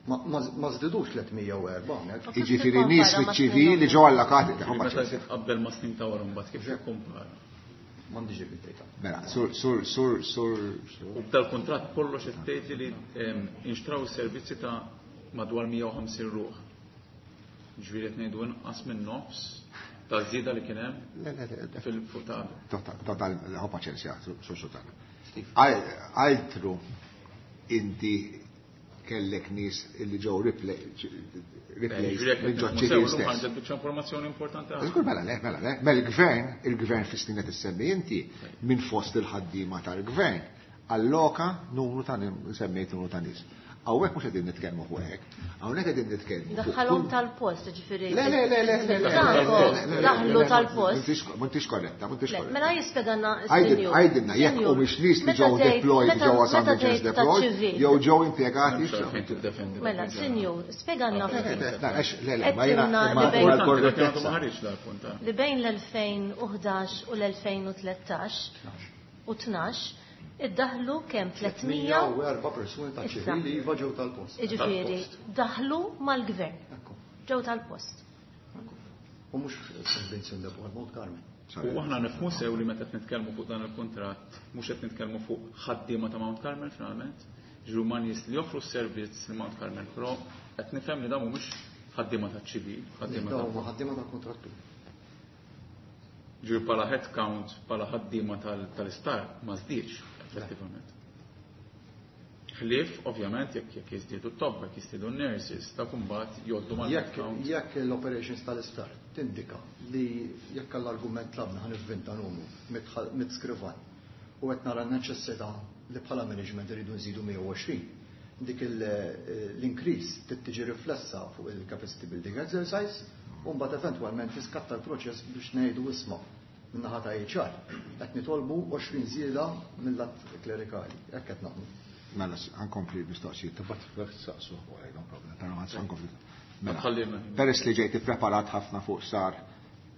Ma żdidux tliet mija u erba' hawnhekk. Jiġifieri nies fiċ-ċivil li ġew allokati. Meta titqabbel ma' snin ta' wara mbagħad kif tikkumpara? M'għandix dik id-data. Mela, sur, sur, sur, sur. U b'dal-kuntratt kollox qed tgħid li inxtraw is-servizzi ta' madwar mija u ħamsin ruħ. Ġifieri qed ngħidu inqas minn nofs ta' żieda li kien hemm Le, le, le, fil-fuq ta' Total, total, ħu paċenzja, sur sultan. Altru inti kellek nies li ġew replaced minn ġo ċivil stess. Ħarġet biċċa informazzjoni importanti ħafna. Żgur, mela le, mela le. Mela l-gvern, il-gvern fis-snin qed issemmi inti minn fost il-ħaddiema tal-gvern alloka numru ta' semmejt numru ta' nies. Hawnhekk mhux qegħdin nitkellmu fuq hekk, hawnhekk qegħdin nitkellmu fuq Daħħalhom kull- tal-post, ġifieri. Le, le, le, le, le, le, Franco, le, le, le, daħlu le, le, tal-post. M'intix m'intix korretta, m'intix Le, korretta. mela jispjegana Għajdin, s-senjur. għajdinna, jekk Senjur, u mhix nies li meta ġew tgħid- deployed, meta- ġewwa San meta Vincenz tgħid ta' deployed, ċivil. jew ġew impjegati. M'hemmx għalfejn tiddefendi dak Mela, il-ġeneral. senjur, spjegana ftit. Le, le, ma jiena Għedtilna imma li bejn- l-korrettezza. Ma ħareġ dal-punt, eh. Li bejn l-elfejn u ħdax u l-elfejn u tlettax u tnax, iddaħlu kemm tliet mija u erba' persuni ta' Issa. ċivili iva ġew tal-post. Jiġifieri, daħlu mal-gvern. Ekku. Ġew tal-post. Ekku. U mhux Saint Vincent de Paul, Mount Carmel. U aħna nifhmu sew li meta qed nitkellmu fuq dan il-kuntratt, mhux qed nitkellmu fuq ħaddiema ta' Mount Carmel finalment, ġiru ma' nies li joffru s-servizz li Mount Carmel, però qed nifhem li dawn mhumiex ħaddiema ta' ċivil, ħaddiema ta' Dawn huma ħaddiema tal-kontrattur. Ġiru bħala head count, bħala ħaddiema tal-istar, ma żdiedx effettivament. Ħlief, ovvjament, jekk jekk jiżdiedu t-tobba, jekk jiżdiedu n-nurses, ta' kumbat jgħoddu mal Jekk jekk l-operations tal-istar tindika li jekk għall-argument tlabna ħa nivvinta numru mit skrivan u qed nara n-neċessità li bħala management iridu nżidu mija u għoxrin, dik l-increase trid tiġi riflessa fuq il-capacity building exercise u mbagħad eventwalment tiskatta l-proċess biex ngħidu isma' min-naħa ta' H R qed nitolbu għoxrin żieda mill-att klerikali, hekk qed nagħmlu. Mela, ħankompli mistoqsijiet, tibgħat saqsu, no problem, però ħankompli. Mela, Tħallilna. peress li ġejt ippreparat ħafna fuq sar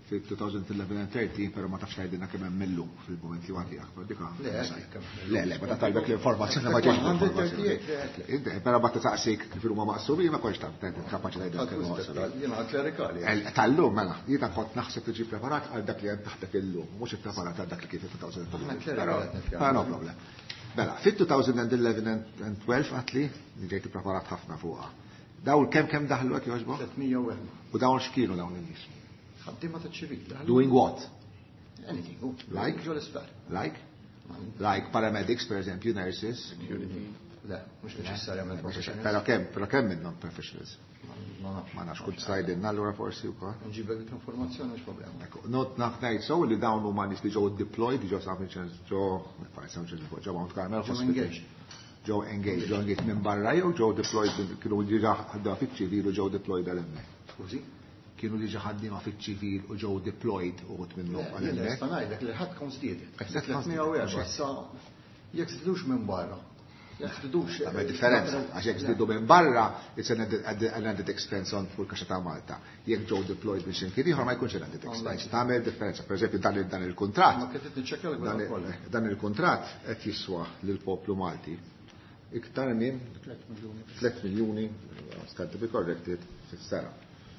fil-two thousand eleven and thirteen, però ma tafx tgħidilna kemm hemm millum fil-mument li għandi akbar dik Le, hekk kemm. Le, le, ma tajbek l-informazzjoni ma ġejx l-informazzjoni. Però ma taqsik kif huma maqsumin, ma kontx taf kapaċi tgħidilna kemm huma maqsumin. Jiena klerikali. Tal-lum, mela, jiena kont naħseb tiġi preparat għal dak li hemm taħtek illum, mhux ippreparat għal dak li kien fil-two thousand eleven. Klerikali qed nitkellem. Però no problem. Mela, fit-two thousand eleven and twelve għatli, li ġejt ippreparat ħafna fuqha. Dawn kemm kemm daħlu hekk jogħġbok? tliet mija u erba'. U dawn x'kienu dawn in-nies? Ħaddiema ta' ċivil. Doing what? Anything. Oh. Like? Ġo l-isptar. Like? Like paramedics, per eżempju, nurses. Security. Le, mhux neċessarjament professionals. Però kemm, però kemm minnhom professionals? Ma nafx. Ma nafx, kull tgħidilna allura forsi wkoll. Nġibek dik l-informazzjoni, mhux problema. Ekku, not naf ngħid sew li dawn huma nies li ġew deployed, ġew San Vincenz, ġew San Vincenz, ġew Mount Carmel Ġew Hospital. engaged. Ġew engaged, ġew engaged minn barra jew ġew deployed, kienu diġà ħadda fiċ-ċivil u ġew deployed għal hemmhekk. Skużi? Kienu diġà ħaddiema fiċ-ċivil u ġew deployed uħud minnhom għal Jien hemmhekk. nista' ngħidlek li ħadd kont żdiedet. Qed tliet Tliet mija u erba', issa jekk żdidux minn barra. Jekk żdidux. Tagħmel differenza, għax jekk żdiedu minn barra, it's an added, an added expense on fuq il-kaxxa ta' Malta. Jekk ġew deployed minn x'imkien ieħor ma jkunx an added expense. Tagħmel differenza. Per eżempju, dan il-, dan il-kuntratt. Ma kif qed niċċekkja l Dan il-, kollha. dan il-kuntratt qed jiswa lill-poplu Malti iktar minn tliet miljuni, stand to be corrected, fis-sena.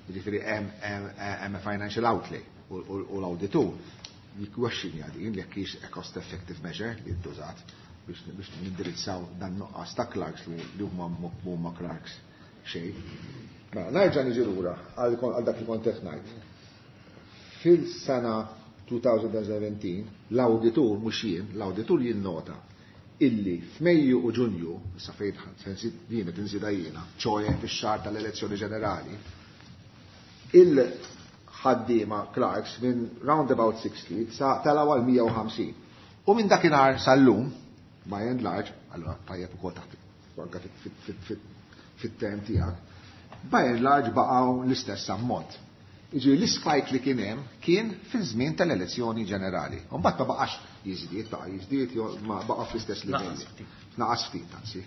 Jiġifieri hemm, hemm, hemm a financial outlay u, u, u l-awditur jikkwestjonja din jekk hix a cost effective measure li ntużat biex, biex nindirizzaw dan nuqqas ta' clerks li li huma huma clerks xejn. Mela, nerġa' niġi lura għal għal dak li kont qed ngħid. Fil-sena two thousand seventeen l-awditur mhux jien, l-awditur jinnota illi f'Mejju u Ġunju, issa fejn din qed inżidha jiena, ċoe fix-xahar tal-elezzjoni ġenerali, il-ħaddiema clerks minn round about sixty sa telgħu għal mija u ħamsin. U minn dakinhar sal-lum, by and large, allora tajjeb ukoll taħt anke fit-term tiegħek, by and large baqgħu l-istess ammont. Jiġifieri l-ispike li kien hemm kien fiż-żmien tal-elezzjoni ġenerali. U mbagħad ma baqax jiżdied, baqa' jiżdied, ma baqa' fl-istess livelli. Naqas ftit, anzi.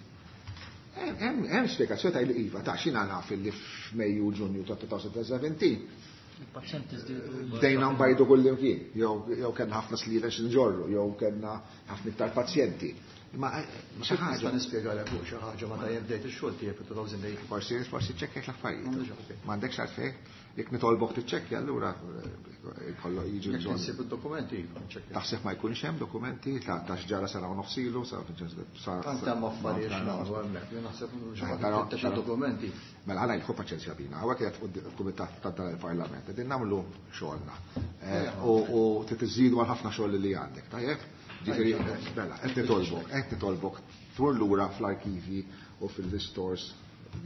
Hemm spjegazzjoni ta' li iva ta' xina naf li f'Mejju Ġunju ta' elfejn u sbatax Il-pazjenti żdiedu. Bdejna nbajdu kullimkien, jew kellna ħafna sliela x'nġorru, jew kellna ħafna iktar pazjenti. Ma xi Nista' ħaġa. nispjegalek fuq xi ħaġa meta jien bdejt ix-xogħol tiegħi fi elfejn u tmintax. Forsi forsi ċċekkjajt l-affarijiet. M'għandix għalfejn. M'għandekx għalfejn? Jekk nitolbok tiċċekkja allura eh, kollu jiġi Jekk bżonn. insib id-dokumenti, iva, nċekkja. Taħseb ma jkunx hemm dokumenti ta' ta' x'ġara sena u nofs ilu, sa sa Tant hemm affarijiet x'nagħmlu hemmhekk, jien naħseb xi ħadd Però- ifittex però- id-dokumenti. Mela għala jilħu paċenzja bina, hawnhekk qed il-kumitat ta' dan il-Parlament, qegħdin nagħmlu xogħolna. Eh, U u trid iżidu għal ħafna xogħol li għandek, tajjeb? Ġifieri, mela, qed nitolbok, qed nitolbok tmur lura fl-arkivi u fil-stores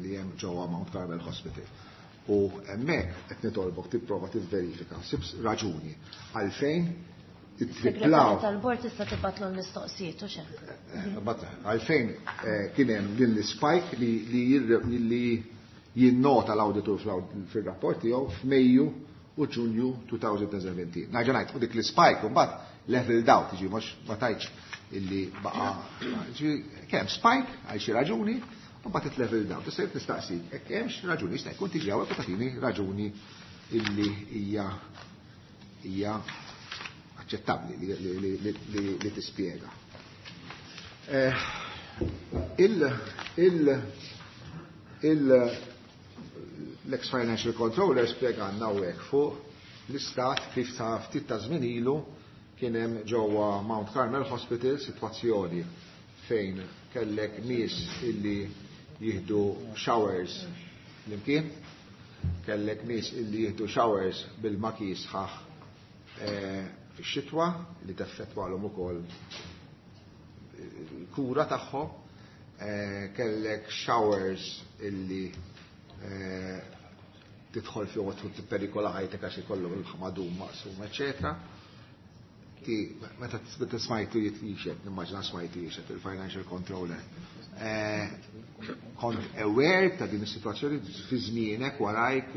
li hemm ġewwa Mount Carmel Hospital. U hemmhekk qed nitolbok tipprova tivverifika, sib raġuni għalfejn Segretarju ittriplaw tal-bord tista' tibgħatlu l-mistoqsijiet u xejn. Bat, għalfejn eh, kien hemm din l-spike li, li, jirre- li jinnota l-auditur fil-rapport tiegħu f'Mejju u Ġunju elfejn u sbatax. Nerġa' ngħid, u dik l-spike mbagħad leveled out, jiġi mhux ma tajtx illi baqa' ġi kemm spike għal xi raġuni u mbagħad it leveled out. Issa jekk nistaqsik, hekk hemmx raġuni jista' jkun tiġi hawnhekk u tagħtini raġuni illi hija hija aċċettabbli li, li, li, li, li, li tispjega. Eh, il, il, il, l-ex financial controller spjegana hawnhekk fuq l-istat kif ta' ftit ta' żmien ilu kien hemm ġewwa Mount Carmel Hospital sitwazzjoni fejn kellek nies illi jieħdu showers l-imkien, kellek nies illi jieħdu showers bil-maki sħaħ eh, fix-xitwa li teffettwalhom ukoll il-kura tagħhom, eh, kellek showers illi eh, tidħol fihom u tipperikola ħajtek għax ikollhom il-ħmadum maqsum, eċetera. Ti, meta meta smajtu jixed, nimmaġina smajtu jixed il-financial controller. Eh, Kont aware ta' din is-sitwazzjoni fi żmienek warajk,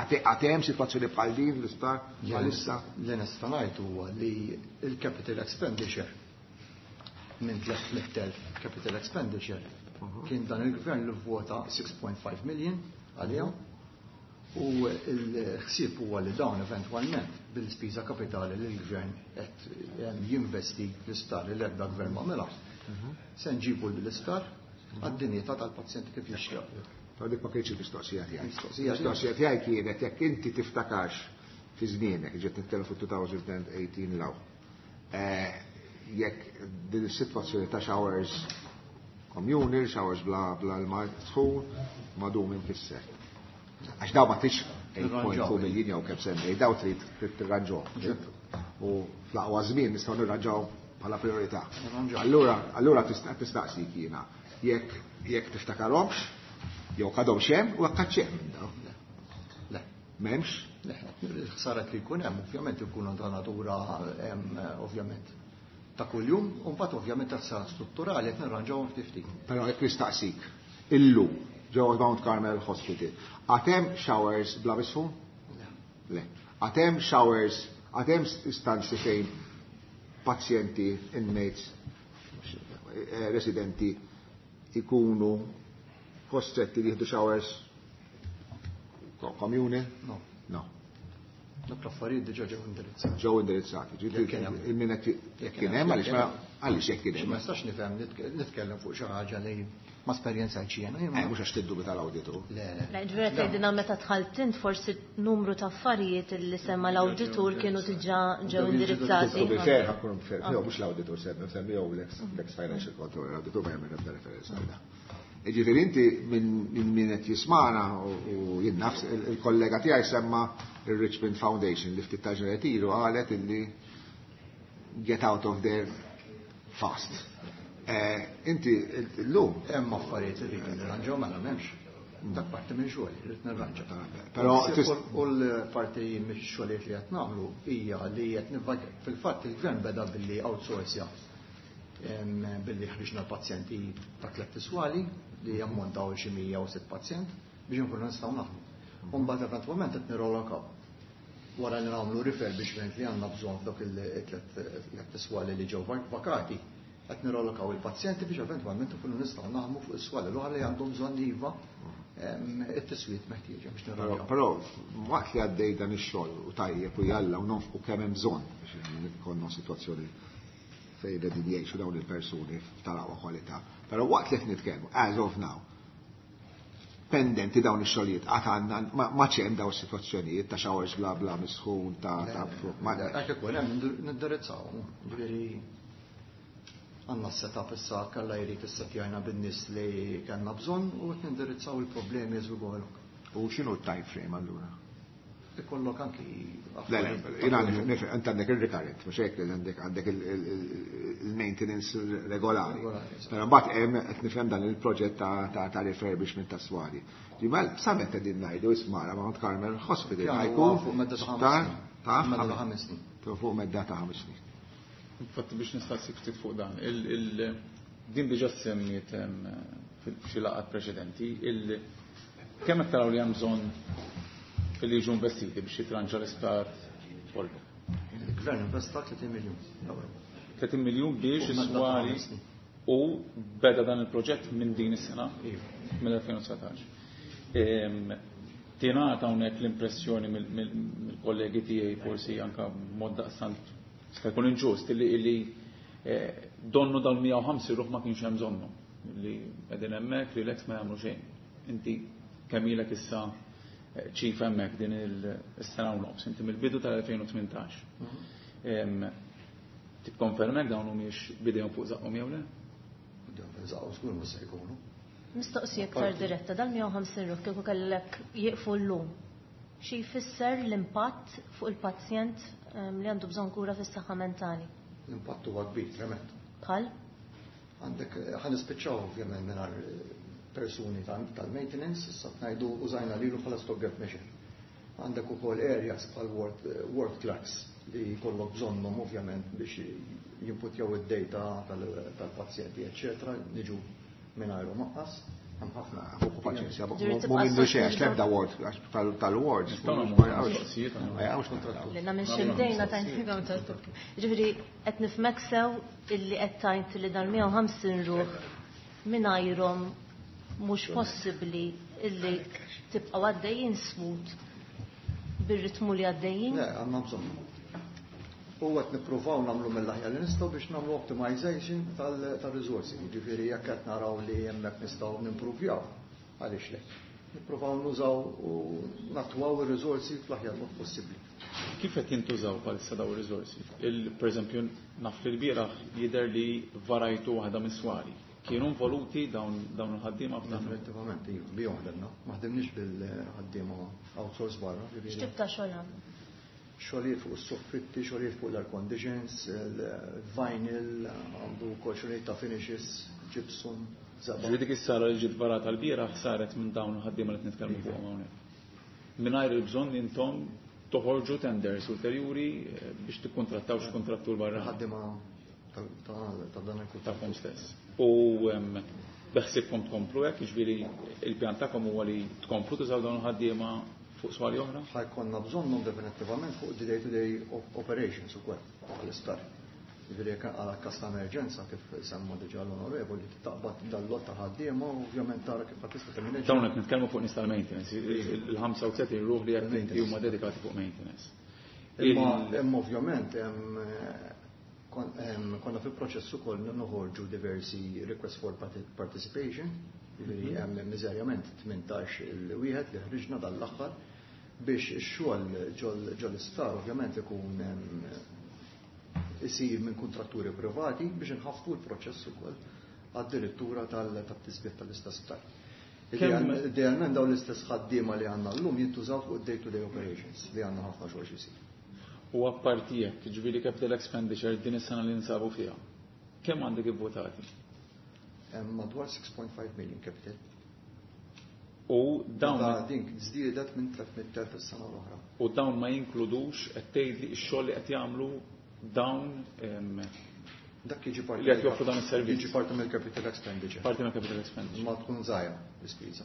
għad hemm sitwazzjoni bħal din l-isptar bħalissa. Li nista' ngħid huwa li il-capital expenditure minn tliet mitt elf capital expenditure kien dan il-gvern li vvota sitta punt ħamsa million għalihom u l-ħsieb huwa li dawn eventwalment bil-spiża kapitali li l-gvern qed em, jinvesti l-isptar li l-ebda gvern ma għamilha. Se nġibu l-isptar għad-dinjità tal-pazjenti kif jixtieq. Ta' dik ma kienx il-mistoqsija tiegħi. Mistoqsija Il-mistoqsija tiegħi kienet jekk inti tiftakarx fi żmienek, ġiet nitkellem fuq elfejn u tmintax law. Eh, Jekk din is-sitwazzjoni ta' showers communal, showers bla bla l-ma sħun, madum imkisser. Għax daw ma tix tmien punt tnejn miljun jew kemm semmej, daw trid trid tirranġaw. U fl-aqwa żmien nistgħu nirranġaw bħala priorità. Nirranġaw. Allura, allura tista' tistaqsik jiena jekk jekk tiftakarhomx, jew għadhom hemm u jekk għadx hemm minn daw. Le. M'hemmx? Le, il-ħsarat li jkun hemm ovvjament ikunu ta' natura em, ovvjament ta' kuljum, u mbagħad ovvjament ta' ħsara strutturali qed nirranġawhom ftit ftit. Però jekk nistaqsik, illum ġewwa Mount Carmel Hospital, għad hemm showers bla misħun? Le. Għad hemm showers, għad hemm istanzi fejn pazjenti, inmates, eh, residenti ikunu kostretti li jieħdu showers komuni? No. No. Dak l-affarijiet diġà ġew indirizzati. Ġew indirizzati. Jekk kien hemm. Il-min qed jekk kien hemm għaliex ma għaliex jekk kien hemm. Ma nistax nifhem nitke- nitkellem fuq xi ħaġa li ma esperjenzajtx jiena. Eh, mhux għax tiddubi tal-awditu. Le, le. Le, ġifieri tgħidilna meta dħalt int forsi numru ta' affarijiet li semma l-awditur kienu diġà ġew indirizzati. To be fair, ħa nkun fair, no, mhux l-awditur semmi, semmi jew l-ex financial controller, l-awditur ma jagħmel ebda referenza għal dan. Ġifieri inti minn min min qed jismana u u jien nafs il-kollega tiegħi semma il-Richmond Foundation li ftit ta' ġranet ilu qalet illi get out of there fast. Eh, Inti llum Hemm affarijiet li rridu nirranġaw mela m'hemmx. Dak parti minn xogħol, irrid nirranġa. Però tis- U l-parti mix-xogħlijiet li qed nagħmlu hija li qed nivvag fil-fatt il-gvern beda billi outsourcja em, billi ħriġna l-pazjenti ta' tliet iswali li jammontaw xi mija u sitt pazjent biex inkunu nistgħu naħdmu. U mbagħad eventwalment qed nirrolokaw. Wara li nagħmlu refurbishment li għandna bżonn f'dawk il-tliet swali li ġew vakati, qed nirrolokaw il-pazjenti biex eventwalment ikunu nistgħu naħdmu fuq is-swali l-oħra li għandhom bżonn iva it-tiswiet meħtieġa biex nirranġaw. Però waqt li għaddej dan ix-xogħol u tajjeb u jalla u nonfqu kemm hemm bżonn biex ikollna sitwazzjoni fejn qegħdin jgħixu dawn il-persuni tal-aqwa kwalità. Però waqt li qed nitkellmu, as of now, pendenti dawn ix-xogħlijiet qatt għandna ma hemm dawn is-sitwazzjonijiet ta' showers bla bla misħun ta' ta' Hekk ikun hemm nindirizzaw. Ġifieri għandna s-setup issa kalla jrid issettjajna bin-nies li kellna bżonn u qed nindirizzaw il-problemi as we go along. U x'inhu t-time frame allura? Ikollok anki Le, le, jiena nifhem, int għandek il-recurrent, mhux hekk għandek għandek il-maintenance regolari. Però mbagħad hemm qed nifhem dan il-proġett ta' ta' refurbishment ta' swali. Ġimal, sa meta qegħdin ngħidu ismara Mount Carmel Hospital ħa jkun fuq medda ta' ħames snin. Fuq medda ta' ħames snin. Infatti biex nistaqsik ftit fuq dan, din diġà semmiet f'xi laqgħat preċedenti, kemm qed taraw li hemm bżonn li jiġu investiti biex jitranġa l-isptar kollu? Il-gvern investa tletin miljun euro. tletin miljun biex is-swali u beda dan il-proġett minn din is-sena, mill-elfejn u dsatax. Tingħata hawnhekk l-impressjoni mill-kollegi tiegħi forsi anke mod daqstant jista' jkun inġust illi donnu dawn mija u ħamsin ruħ ma kienx hemm bżonnhom li qegħdin hemmhekk li l-ex ma jagħmlu xejn. Inti kemm ilek issa ċif hemmhekk din is-sena u nofs, inti mill-bidu tal-elfejn u tmintax. Tikkonfermek dawn humiex bidejhom fuq żaqqhom jew le? Bidejhom fuq żaqqhom żgur mhux se jkunu. Mistoqsija iktar diretta, dal mija u ħamsin ruħ kieku kellek jieqfu llum. Xi jfisser l-impatt fuq il-pazjent li għandu bżonn kura fis-saħħa mentali? L-impatt huwa kbir, tremend. Bħal? Għandek, ħa nispiċċaw ovvjament mingħajr persuni tal-maintenance, issa ngħidu użajna lilu bħala stopgap measure. Għandek ukoll areas bħal ward, ward clerks li jkollok bżonnhom ovvjament biex jimputjaw id-data tal-pazjenti, eċċetera, niġu mingħajrhom anqas. Hemm ħafna. Fuq paċenzja, mhu minnu xejn, għax l-ebda ward, għax tal-wards. Nistgħu nagħmlu mistoqsijiet, Ma jaqgħux kontrattaw. Li nagħmel xi bdejna tajt. Ġifieri qed nifhmek sew illi qed tajt li dan mija u ħamsin ruħ mingħajrhom mhux possibbli illi tibqgħu għaddejjin smooth bir-ritmu li għaddejjin? Le, għandna bżonn. U qed nippruvaw nagħmlu mill-aħjar li nistgħu biex nagħmlu optimization tal-riżorsi. Jiġifieri jekk qed naraw li hemmhekk nistgħu nimpruvjaw, għaliex le. Nippruvaw nużaw u natwaw ir-riżorsi fl-aħjar mod possibbli. Kif qed jintużaw bħalissa daw ir-riżorsi? Per eżempju, naf li l-bieraħ jidher li varajtu waħda mis-swali. Kienu involuti dawn, dawn il-ħaddiema f'dan? Effettivament, iva, bihom ħdemna. Ma ħdemniex bil-ħaddiema outsource barra, ġifieri. X'tip ta' xogħol għamlu? Xogħlijiet fuq is-soffitti, xogħlijiet fuq l-air conditions, il-vinyl, għandu wkoll xogħlijiet ta' finishes, gypsum, żebgħa. Ġifieri dik is-sala li ġiet varata l-bieraħ saret minn dawn il-ħaddiema li qed nitkellmu fuqhom hawnhekk. Mingħajr il-bżonn intom toħorġu tenders ulterjuri biex tikkuntrattaw xi kuntrattur barra. Ħaddiema ta', ta', ta' dan il-kuntratt. Tagħkom stess. U, em, beħsibkom tkomplu hekk, jiġifieri il-pjan tagħkom huwa li tkomplu tużaw dawn il-ħaddiema fuq swali oħra? Ħajkonna bżonnhom definittivament fuq the day-to-day op-, operations ukoll għall-isptar. Jiġifieri jekk għal każ ta' emerġenza kif semma diġà l-onorevoli, taqbad dal-lot ta' ħaddiema u ovvjament tara kif tista' timmineġġa. Dawn qed nitkellmu fuq nies tal-maintenance, il-ħamsa u tletin ruħ li qed inti huma dedikati fuq maintenance. Imma Il- imma ovvjament hemm, kon-, hemm, konna fi proċess ukoll noħorġu diversi request for parti-, participation, jiġifieri Mhm. hemm miżerjament tmintax il-wieħed li ħriġna dal-aħħar biex ix-xogħol ġol, ġol isptar ovvjament ikun, ehm, isir minn kontratturi privati biex inħaffu l-proċess ukoll għad-direttura tal-, tat-tisbiet tal-istess sptar. Kemm Idealment dawn l-istess ħaddiema li għandna llum jintużaw fuq day-to-day operations li għandna ħafna xogħol xi jsir. U apparti hekk, jiġifieri capital expenditure din is-sena li nsabu fiha, kemm għandek ivvotati? Hemm madwar six point five million capital. U dawn Meta din żdiedet minn tliet mitt elf is-sena l-oħra. U dawn ma jinkludux qed tgħidli x-xogħol li qed jagħmlu dawn, ehm, Dak jiġi parti li qed joffru dan is-servizz. Jiġi parti mill-capital expenditure. Parti mill-capital expenditure. Ma tkun żgħira l-ispiża.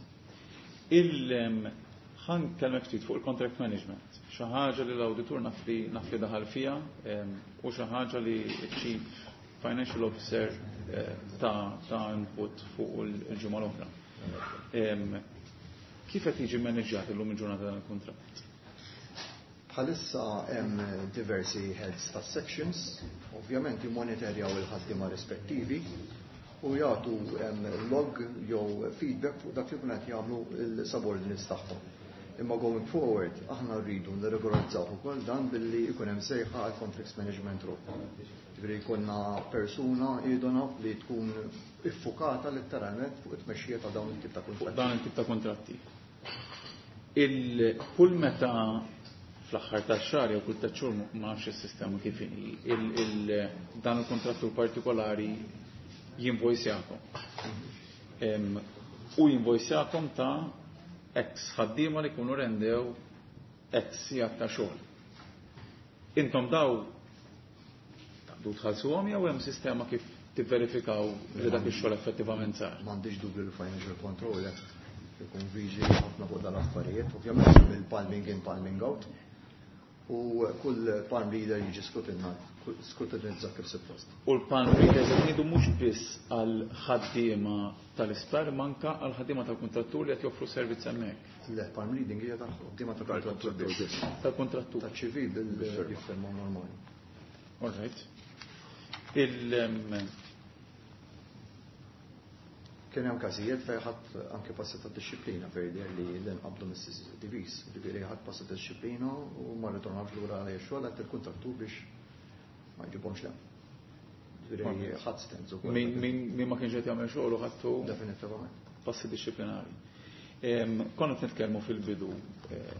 Il, ehm, Ħa nkellmek ftit fuq il-contract management. Xi ħaġa li l-awditur naf li naf li daħal fiha u xi ħaġa li Chief Financial Officer eh, ta' ta' input fuq il-ġimgħa l-oħra. Kif qed jiġi manaġġjat illum il-ġurnata dan il-kuntratt? Bħalissa hemm diversi heads ta' sections, ovvjament jimmonitorjaw il-ħaddiema rispettivi u jagħtu log jew feedback fuq dak li jkun qed jagħmlu l-subordinates tagħhom. Imma going forward, aħna rridu nirregolarizzaw ukoll dan billi jkun hemm sejħa għal contracts management role. Ġifieri jkollna persuna idona li tkun iffukata letteralment fuq it-tmexxija ta' dawn it-tip ta' kuntratti. Dan it-tip ta' kuntratti. Il-kull meta fl-aħħar tax-xahar jew kull tliet xhur, ma nafx is-sistema kif inhi, dan il-kontrattur partikolari jinvojsjakom. U jinvojsjakom ta' ex ħaddiema li jkunu rendew ex sigħat ta' xogħol. Intom daw taqdu tħallsuhom jew hemm sistema kif tivverifikaw li dak ix-xogħol effettivament sar? M'għandix dubju li financial control ikun viġi ħafna fuq dal-affarijiet, ovvjament il-palming in, palming out, u kull palm reader jiġi skrutinizzat kif suppost. U l-palm readers qed ngħidu mhux biss għal ħaddiema tal-isptar, manka għal ħaddiema tal-kuntrattur li qed joffru servizz hemmhekk. Le, palm reading hija tal-ħaddiema tal-kontrattur biss. Tal-kontrattur. Tal-ċivil bil-firma normali. All right. Il Kien hemm każijiet fejn ħadd anke passi ta' dixxiplina fejn jidher li l-inqabdu mis-C C T Vs, ġifieri ħadd passi ta' dixxiplina u ma rritornawx lura għal xogħol għad il-kuntrattur biex ma jġibhomx le. Ġifieri ħadd stands ukoll. Min ma kienx qed jagħmel xogħol u ħadtu Definitivament. passi dixxiplinari. Konna qed nitkellmu fil-bidu eh,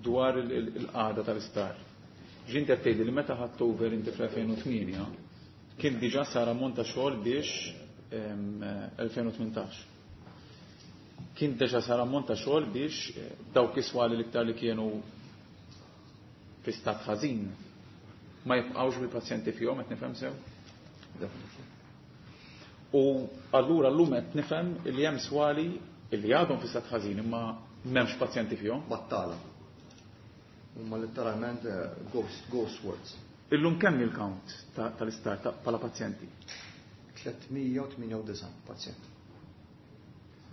dwar il-qagħda tal-isptar. Ġint qed tgħidli li meta ħadt over inti fl-elfejn u tmienja kien diġà sar ammont ta' xogħol biex elfejn u tmintax. Kien diġà sar ammont ta' xogħol biex eh, dawk is-swali l-iktar li kienu fi stat ħażin ma jibqgħux bil-pazjenti fihom, qed nifhem sew? U allura llum qed nifhem li hemm swali li għadhom fi stat ħażin imma m'hemmx pazjenti fihom. Battala. Huma letteralment eh, ghost, ghost wards. Illum kemm il-count tal-isptar bħala pazjenti? tliet mija u tmienja u disgħin pazjent.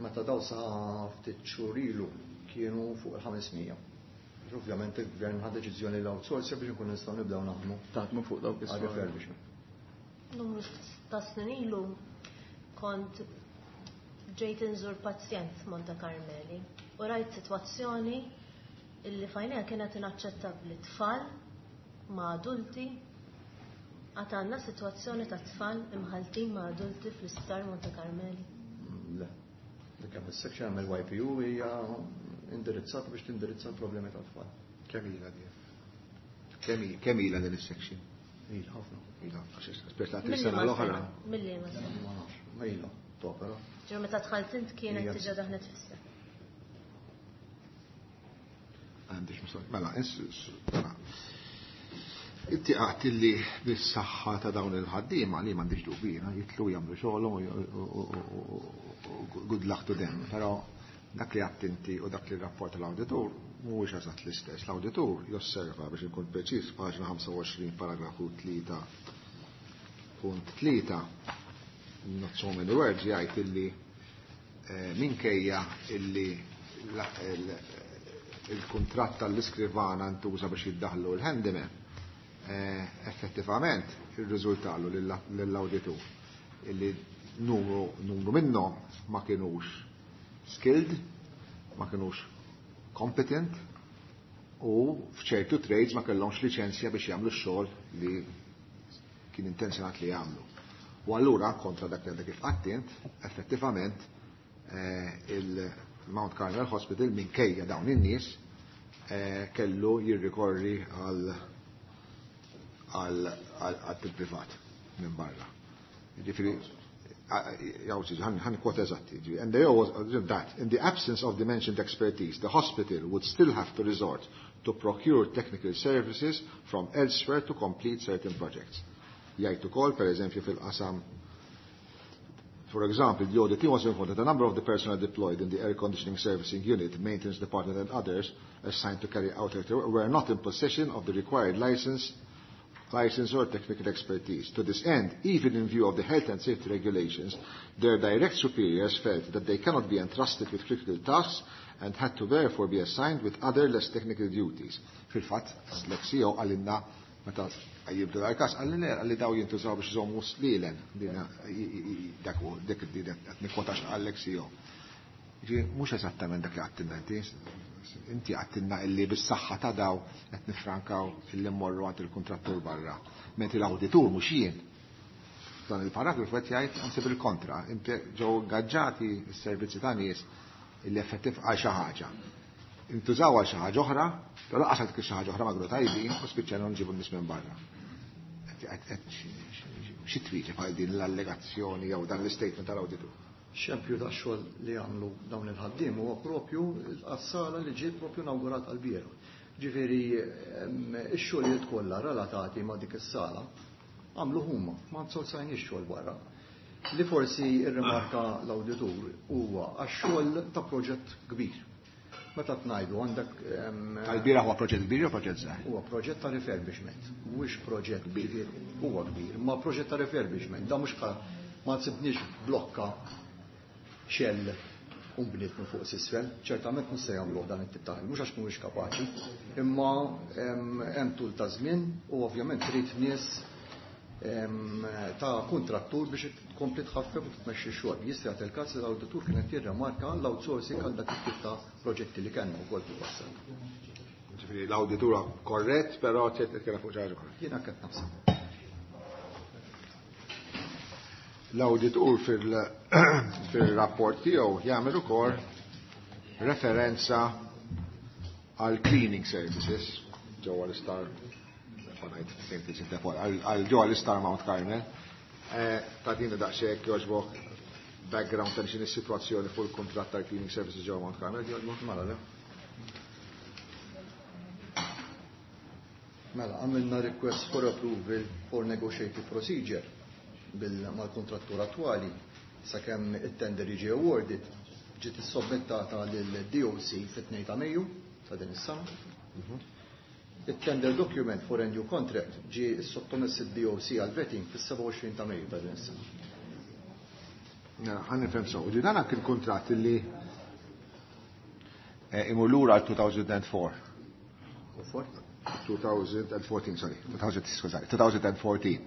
Meta daw sa ftit xhur ilu kienu fuq il-ħames mija. Ovvjament il-gvern ħa deċiżjoni l-outsource biex nkun nistgħu nibdew naħdmu. Taħdmu fuq dawk is refurbishment. Numru ta' snin ilu kont ġejt inżur pazjent Monte Carmeli u rajt sitwazzjoni illi fajnija kienet inaċċettabbli, tfal ma' adulti. Għad għandna sitwazzjoni ta' tfal imħaltin ma' adulti fl-isptar Monte Carmeli? Le. Dik hemm is-section, hemm il-Y P U, hija indirizzata biex tindirizza l-problemi ta' tfal. Kemm ilha din? Kemm ilha din is-section? Ilha ħafna. Ilha, aspetta, sena l-oħra. Milli ma sena. Ma nafx, ma ilha topera. Ġew meta dħalt int kienet diġà daħlet fis-seħħ. Għandix mistoqsija. Mela, mela. Inti għedt li bis-saħħa ta' dawn il-ħaddiema, li m'għandix dubina, jitlu jagħmlu xogħolhom u good luck to them, però dak li għedt inti u dak li rapport l-awditur mhuwiex eżatt l-istess. L-awditur josserva, biex inkun preċiż, paġna ħamsa u għoxrin paragrafu tlieta punt tlieta, not so many words, jgħid illi eh, minkejja illi il-kuntratt tal-iskrivana ntuża biex jiddaħlu l-handyman, eh, effettivament ir-riżultalu lill-awditur illi numru, numru minnhom ma kienux skilled, ma kienux competent u f'ċertu trades ma kellhomx liċenzja biex jagħmlu x-xogħol li kien intenzjonat li jagħmlu. U allura kontra dak li kif għedt int, effettivament eh, il-Mount Carmel Hospital minkejja dawn in-nies eh, kellu jirrikorri għal għal privat minn barra. Ġifieri, ħa nikkwota eżatti. And they always, that, in the absence of the mentioned expertise, the hospital would still have to resort to procure technical services from elsewhere to complete certain projects. Jgħid ukoll, per eżempju, fil-qasam For example, the audit team was informed that a number of the personnel deployed in the air conditioning servicing unit, maintenance department and others assigned to carry out work were not in possession of the required license, license or technical expertise. To this end, even in view of the health and safety regulations, their direct superiors felt that they cannot be entrusted with critical tasks and had to therefore be assigned with other less technical duties. Fil-fatt, l-X E O qalilna meta jibdu dal-kas, qalli qalli daw jintużaw biex iżommu slielen, dak dik qed nikkwotax għall-X E O. Mhux eżattament dak li għedtilna inti, inti għedtilna illi bis-saħħa ta' daw qed nifrankaw illi mmorru għand il-kontrattur barra. Mentri l-awditur mhux jien. Dan il-paragrafu qed jgħid anzi bil-kontra, ġew ingaġġati s-servizzi ta' nies illi effettiv għal xi ħaġa. Intużaw għal xi ħaġa oħra, però lanqas għal xi ħaġa oħra ma kienu tajbin u spiċċajna nġibu n-nies minn barra. Xi twieġeb għal din l-allegazzjoni jew dan l-istatement tal-awditur? Xempju ta' xogħol li għamlu dawn il-ħaddiem huwa propju għas-sala li ġiet propju inawgurat għal-bieraħ. Ġifieri ix-xogħlijiet kollha relatati ma' dik is-sala għamlu huma, ma nsorsajniex xogħol barra. Li forsi irrimarka l-awditur huwa għax-xogħol ta' proġett kbir. Meta tnajdu għandek Tal-bieraħ huwa proġett kbir jew proġett żgħir? Huwa proġett ta' refurbishment, mhuwiex proġett kbir, huwa kbir, ma proġett ta' refurbishment, da mhux ma tsibniex blokka xell u bniet minn fuq s'isfel, ċertament mhux se jagħmluh dan it-tip ta' mhux għax mhuwiex kapaċi, imma hemm tul ta' żmien u ovvjament trid nies ta' kontrattur biex tkompli tħaffef u tmexxi x-xogħol. Jista' jagħti il-każ li l-awditur kienet jirremarka l-outsourcing għal dak it-tip ta' proġetti li kellna wkoll fil-passat. Ġifieri l-awditur korrett, però qed titkellem fuq xi ħaġa oħra. Jiena qed naħseb. L-awditur fil-rapport tiegħu jagħmel ukoll referenza għal cleaning services ġewwa l-isptar, għal ġewwa l-isptar Mount Carmel. Ta' din daqsxejn jogħġbok background ta' x'inhi is-sitwazzjoni fuq il-kuntratt tal-cleaning services ġewwa Mount Carmel, jogħġbok? Mela, le. Mela, għamilna request for approval for negotiated procedure mal-kontrattur attwali sakemm it-tender jiġi awarded, ġiet issubmittata lil D O C fit-tnejn ta' Mejju ta' din is-sena. Il-tender document for a new contract ġie sottomess id-D O C għal vetting fis-sebgħa u għoxrin ta' Mejju ta' din is-sena. Ħa nifhem sew. Ġi dan kien kuntratt li imur lura għal elfejn u erbgħa. twenty fourteen, sorry, two thousand, skużani, twenty fourteen.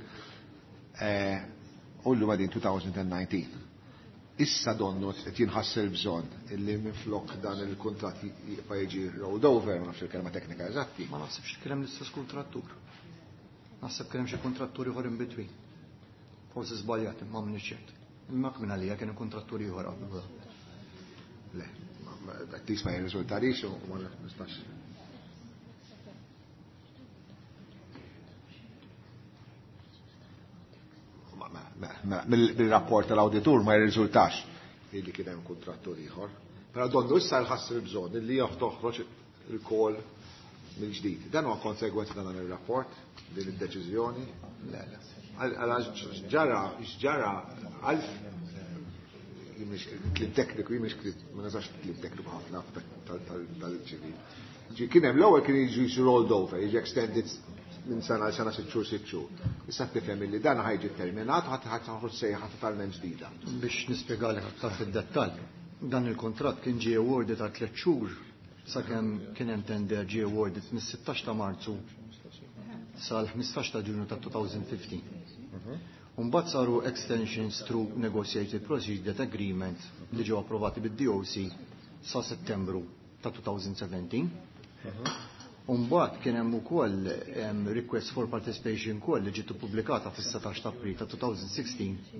U llum qegħdin twenty nineteen. Issa donnu qed jinħass il-bżonn illi minflok dan il-kuntratt jibqa' jiġi rolled over, ma nafx il-kelma teknika eżatti. Ma naħsibx kien hemm l-istess kontrattur. Naħseb kien hemm xi kontrattur ieħor in between. Forsi żbaljat, imma m'iniex ċert. Imma kmin għalija kien kontrattur ieħor qabel. Le, at least ma jirriżultarix u ma nistax. Mill-rapport tal-awditur ma jirriżultax illi kien hemm kontrattur ieħor. Però donnu issa nħass il-bżonn illi toħroġ il-call mill-ġdid. Dan huwa konsegwenza ta' dan ir-rapport, din id-deċiżjoni. Le, le. Għala ġara, ġara għalf kliem tekniku, jimix ma nasax kliem tekniku ħafna tal-ċivil. Ġi kien hemm l-ewwel kien jiġi rolled over, jiġi extended minn sena għal sena, sitt xhur, sitt xhur. Issa tifhem illi dan ħa jiġi terminat u ħadd ħadd toħroġ sejħa totalment ġdida. Biex nispjegalek aktar fid-dettall, dan il-kontratt kien ġie awarded għal tliet xhur sakemm kien hemm tender ġie awarded mis-sittax ta' Marzu sal-ħmistax ta' Ġunju ta' elfejn u ħmistax. Mbagħad saru extensions through negotiated procedure agreement li ġew approvati bid-D O C sa Settembru ta' elfejn u sbatax. Umbagħad kien hemm ukoll request for participation call li ġiet ippubblikata fis-setax ta' April ta' elfejn u sittax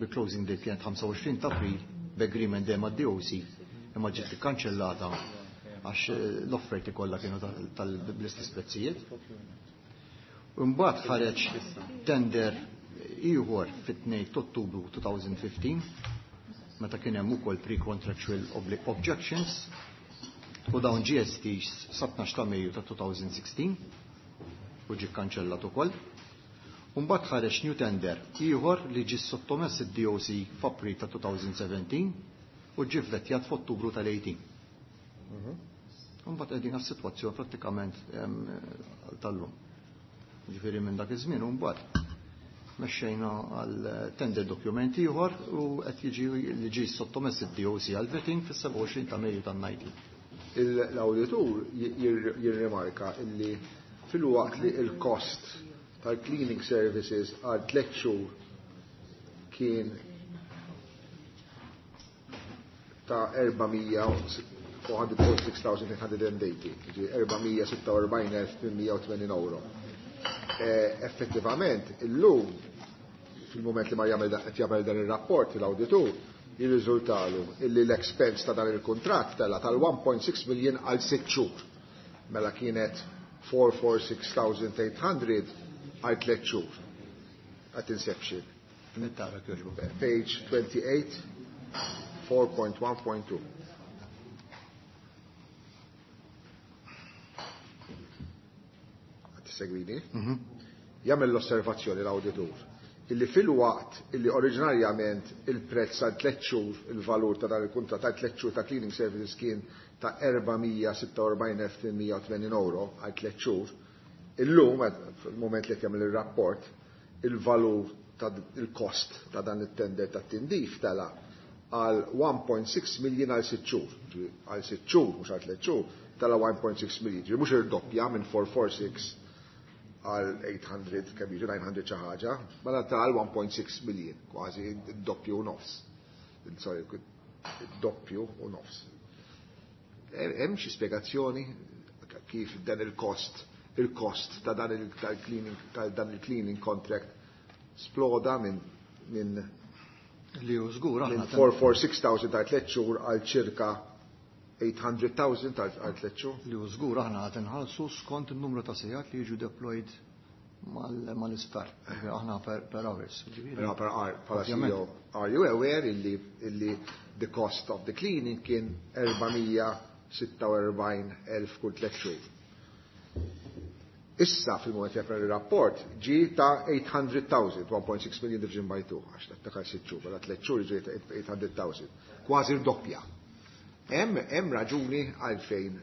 bi closing date kienet ħamsa u għoxrin ta' April b'agreement dejjem mad-D O C, imma ġiet ikkanċellata għax l-offerti kollha kienu tal-istess prezzijiet. Imbagħad ħareġ tender ieħor fit-tnejn ta' Ottubru elfejn u ħmistax meta kien hemm ukoll pre-contractual objections u dawn G S T sa tnax ta' Mejju ta' elfejn u sittax u ġie kkanċellat ukoll. Mbagħad ħareġ new tender ieħor li ġie sottomess id-D O C f'April ta' twenty seventeen u ġie vvettjat f'Ottubru tal-tmintax. Mbagħad qegħdin għas-sitwazzjoni prattikament tal-lum. Ġifieri minn dak iż-żmien u mbagħad mexxejna għal tender document ieħor u qed jiġi li ġie sottomess id-D O C għal vetting fis-sebgħa u għoxrin ta' Mejju tan-tnax. L-auditur jirrimarka illi fil-waqt li il-cost tal-cleaning services għal tliet xhur kien ta' four hundred forty-six thousand eight hundred eighty, ġi erba' mija sitta u erbgħin elf tmien mija u tmenin euro. Effettivament, illum, fil-moment li ma jagħmel jagħmel dan ir-rapport l-awditur, jirriżultalu illi l-expense ta' dan il-kuntratt tela tal-one point six million għal sitt xhur. Mela kienet four hundred forty-six thousand eight hundred għal tliet xhur at inception. Page twenty-eight, four point one point two. Qed segwini? Jagħmel l-osservazzjoni l-awditur illi fil-waqt illi oriġinarjament il-prezz għal tliet xhur, il-valur ta' dan il-kuntratt għal tliet xhur ta' cleaning services kien ta' erba' mija sitta u erbgħin elf tmien mija u tmenin euro għal tliet xhur, illum, fil-moment li qed jagħmel ir-rapport, il-valur ta' il-cost ta' dan it-tender ta' tindif tela għal one point six million għal sitt xhur. Għal sitt xhur, mhux għal tliet xhur, tela one point six million. Ġifieri mhux irdoppja minn four hundred forty-six għal eight hundred, kemm jiġu nine hundred xi ħaġa, mela tal one point six million, kważi doppju u nofs. Sorry, doppju u nofs. Hemm xi spjegazzjoni kif dan il-cost il-cost ta' dan il-cleaning ta' dan il-cleaning contract sploda minn minn Li hu żgur minn aħna four hundred forty-six thousand ta' tliet xhur għal ċirka eight hundred thousand għal tliet xhur. Li hu żgur aħna qed inħallsu skont in-numru ta' sigħat li jiġu deployed mal-isptar. Aħna per, per hours. Però per hour, bħala C E O, are you aware illi, illi the cost of the cleaning kien erba' mija sitta u erbgħin elf kull tliet xhur? Issa fil-moment jagħmel il-rapport ġi ta' eight hundred thousand, one point six million division by two, għax ta' sitt xhur, mela tliet xhur ġi ta' eight hundred thousand, kważi rdoppja. Hemm hemm raġuni għalfejn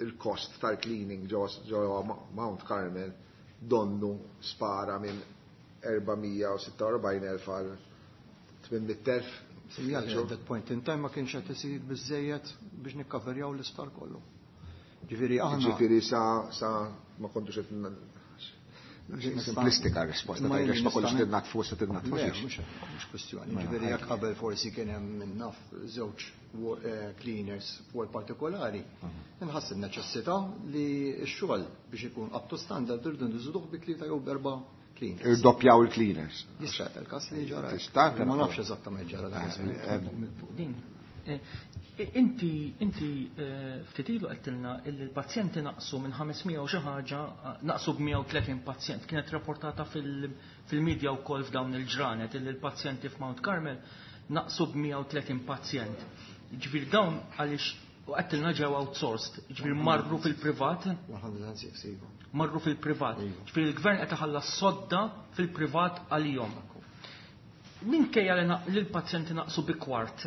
il-cost tal-cleaning ġo Mount Carmel donnu spara minn erba' mija sitta u erbgħin elf għal tmien mitt elf? Sinjali at that point in time ma kienx qed isir biżejjed biex nikkaverjaw l-isptar kollu. Ġifieri aħna Ġifieri sa sa ma kontux qed simplistika risposta, Ma għax ma kontux nista' tinnatfu se tinnatfu Le, xiex. mhux mhux kwestjoni. Ġifieri jekk qabel forsi kien hemm minn naf żewġ eh, cleaners fuq partikolari, inħass in-neċessità li x-xogħol biex ikun up to standard irridu nżiduh bi tlieta jew b'erba' cleaners. Irdoppjaw il-cleaners. Jista' il-każ li ġara. Tista' Ma nafx eżattament ġara dak iż-żmien. Fuq din. Eh, Inti, inti eh, ftit ilu għedtilna illi l-pazjenti naqsu minn ħames mija u xi ħaġa, naqsu b'mija u tletin pazjent. Kienet rapportata fil-medja wkoll f'dawn il-ġranet illi l-pazjenti f'Mount Carmel naqsu b'mija u tletin pazjent. Ġifieri dawn għaliex u għedtilna ġew outsourced, ġifieri marru fil-privat, one hundred and six, iva. Marru fil-privat. Iva. Ġifieri l-gvern qed iħallas sodda fil-privat għalihom. Minkejja li naq- li l-pazjenti naqsu bi kwart,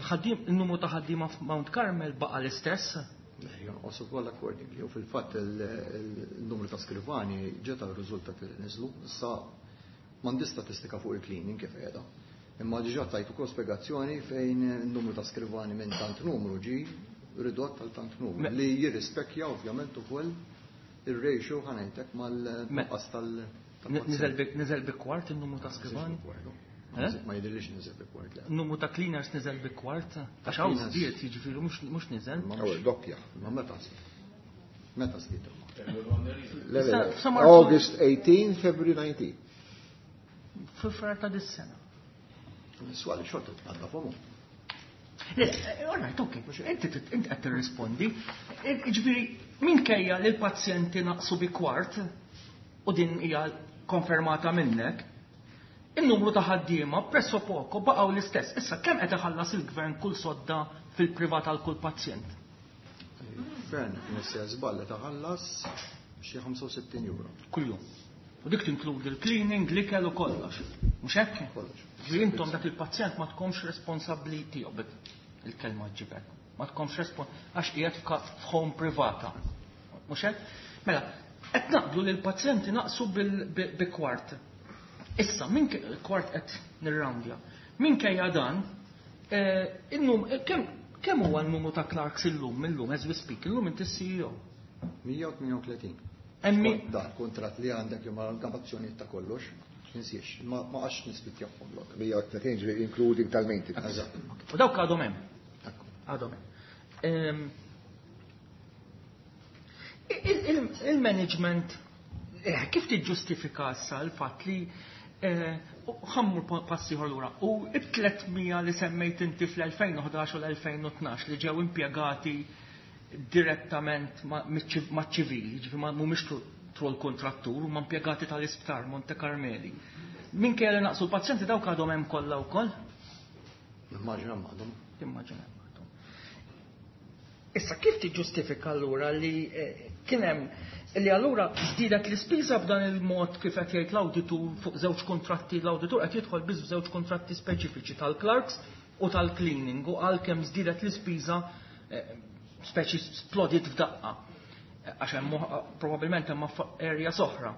ħaddiem, il-numru ta' ħaddiema f'Mount Carmel baqa' l-istess? Le, jonqos ukoll accordingly. U fil-fatt il-numru ta' skrivani ġeta r-riżultat li niżlu. Issa m'għandi statistika fuq il-cleaning kif qiegħda. Imma diġà tajt ukoll spjegazzjoni fejn il-numru ta' skrivani minn tant numru ġi ridott għal tant numru. Me- Li jirrispekkja ovvjament ukoll ir-ratio ħa ngħidlek mal-nuqqas tal- Niżel bi- Niżel bi kwart il-numru ta' skrivani? Eh? Ma jidhirlix niżel bi kwart, le. Numru ta' cleaners niżel bi kwart? Għax hawn Cleaners. żdied, jiġifieri mhux mhux niżel. Ma Ewwel doppja. Ma meta żdied? Meta żdied imma? Le, le, le. Sa- sa Marzu- August eighteen, February nineteen. Fi Frar ta' dis-sena. Swali xorta tqadda fomu. Le, eh, all right, ok, inti tit- inti qed tirrispondi. Eh, Ġifieri minkejja li l-pazjenti naqsu bi kwart u din hija konfermata minnek, il-numru ta' ħaddiema presso poco baqgħu l-istess. Issa kemm qed iħallas il-gvern kull sodda fil-privat għal kull pazjent? Gvern nissija żball taħallas xi ħamsa u sittin euro. Kuljum. U dik tinkludi l-cleaning, l-ikel u kollox. Mhux hekk? Kollox. Ġifieri intom dak il-pazjent ma tkomx responsabbli tiegħu il-kelma ġibek. Ma tkomx responsabbli għax qiegħed f'home privata. Mhux hekk? Mela, qed naqblu li l-pazjenti naqsu bi kwart. Issa, minn kwart qed nirroundja. Minkejja dan, innum kemm huwa n-numru ta' clerks illum illum as we speak, illum inti C E O? mija u tmienja u tletin. Emmi Da, kontrat li għandek imma l-gamazzjoni ta' kollox, ninsiex, ma għax nisplitjahom lok. mija u tletin ġifieri including tal-maintenance. Eżatt. U dawk għadhom hemm. Għadhom hemm. Il-management, eh, kif tiġġustifika issa l-fatt li eh, ħa mmur passi lura u it-tliet mija li semmejt inti fl-elfejn u ħdax u l-elfejn u tnax li ġew impjegati direttament maċ-ċivili, ġifieri ma mhumiex through l-kontrattur, huma impjegati tal-isptar Monte Carmeli. Minkejja li naqsu l-pazjenti, dawk għadhom hemm kollha wkoll? Immaġina għadhom. Immaġina għadhom. Issa kif tiġġustifika allura li eh, kien hemm li allura żdiedet l-ispiża b'dan il-mod kif qed jgħid l-awditur fuq żewġ kontratti, l-awditur qed jidħol biss f'żewġ kontratti speċifiċi tal-clerks u tal-cleaning u għalkemm żdiedet l-ispiża eh, speċi splodit f'daqqa. Għax hemm probabbilment hemm area oħra.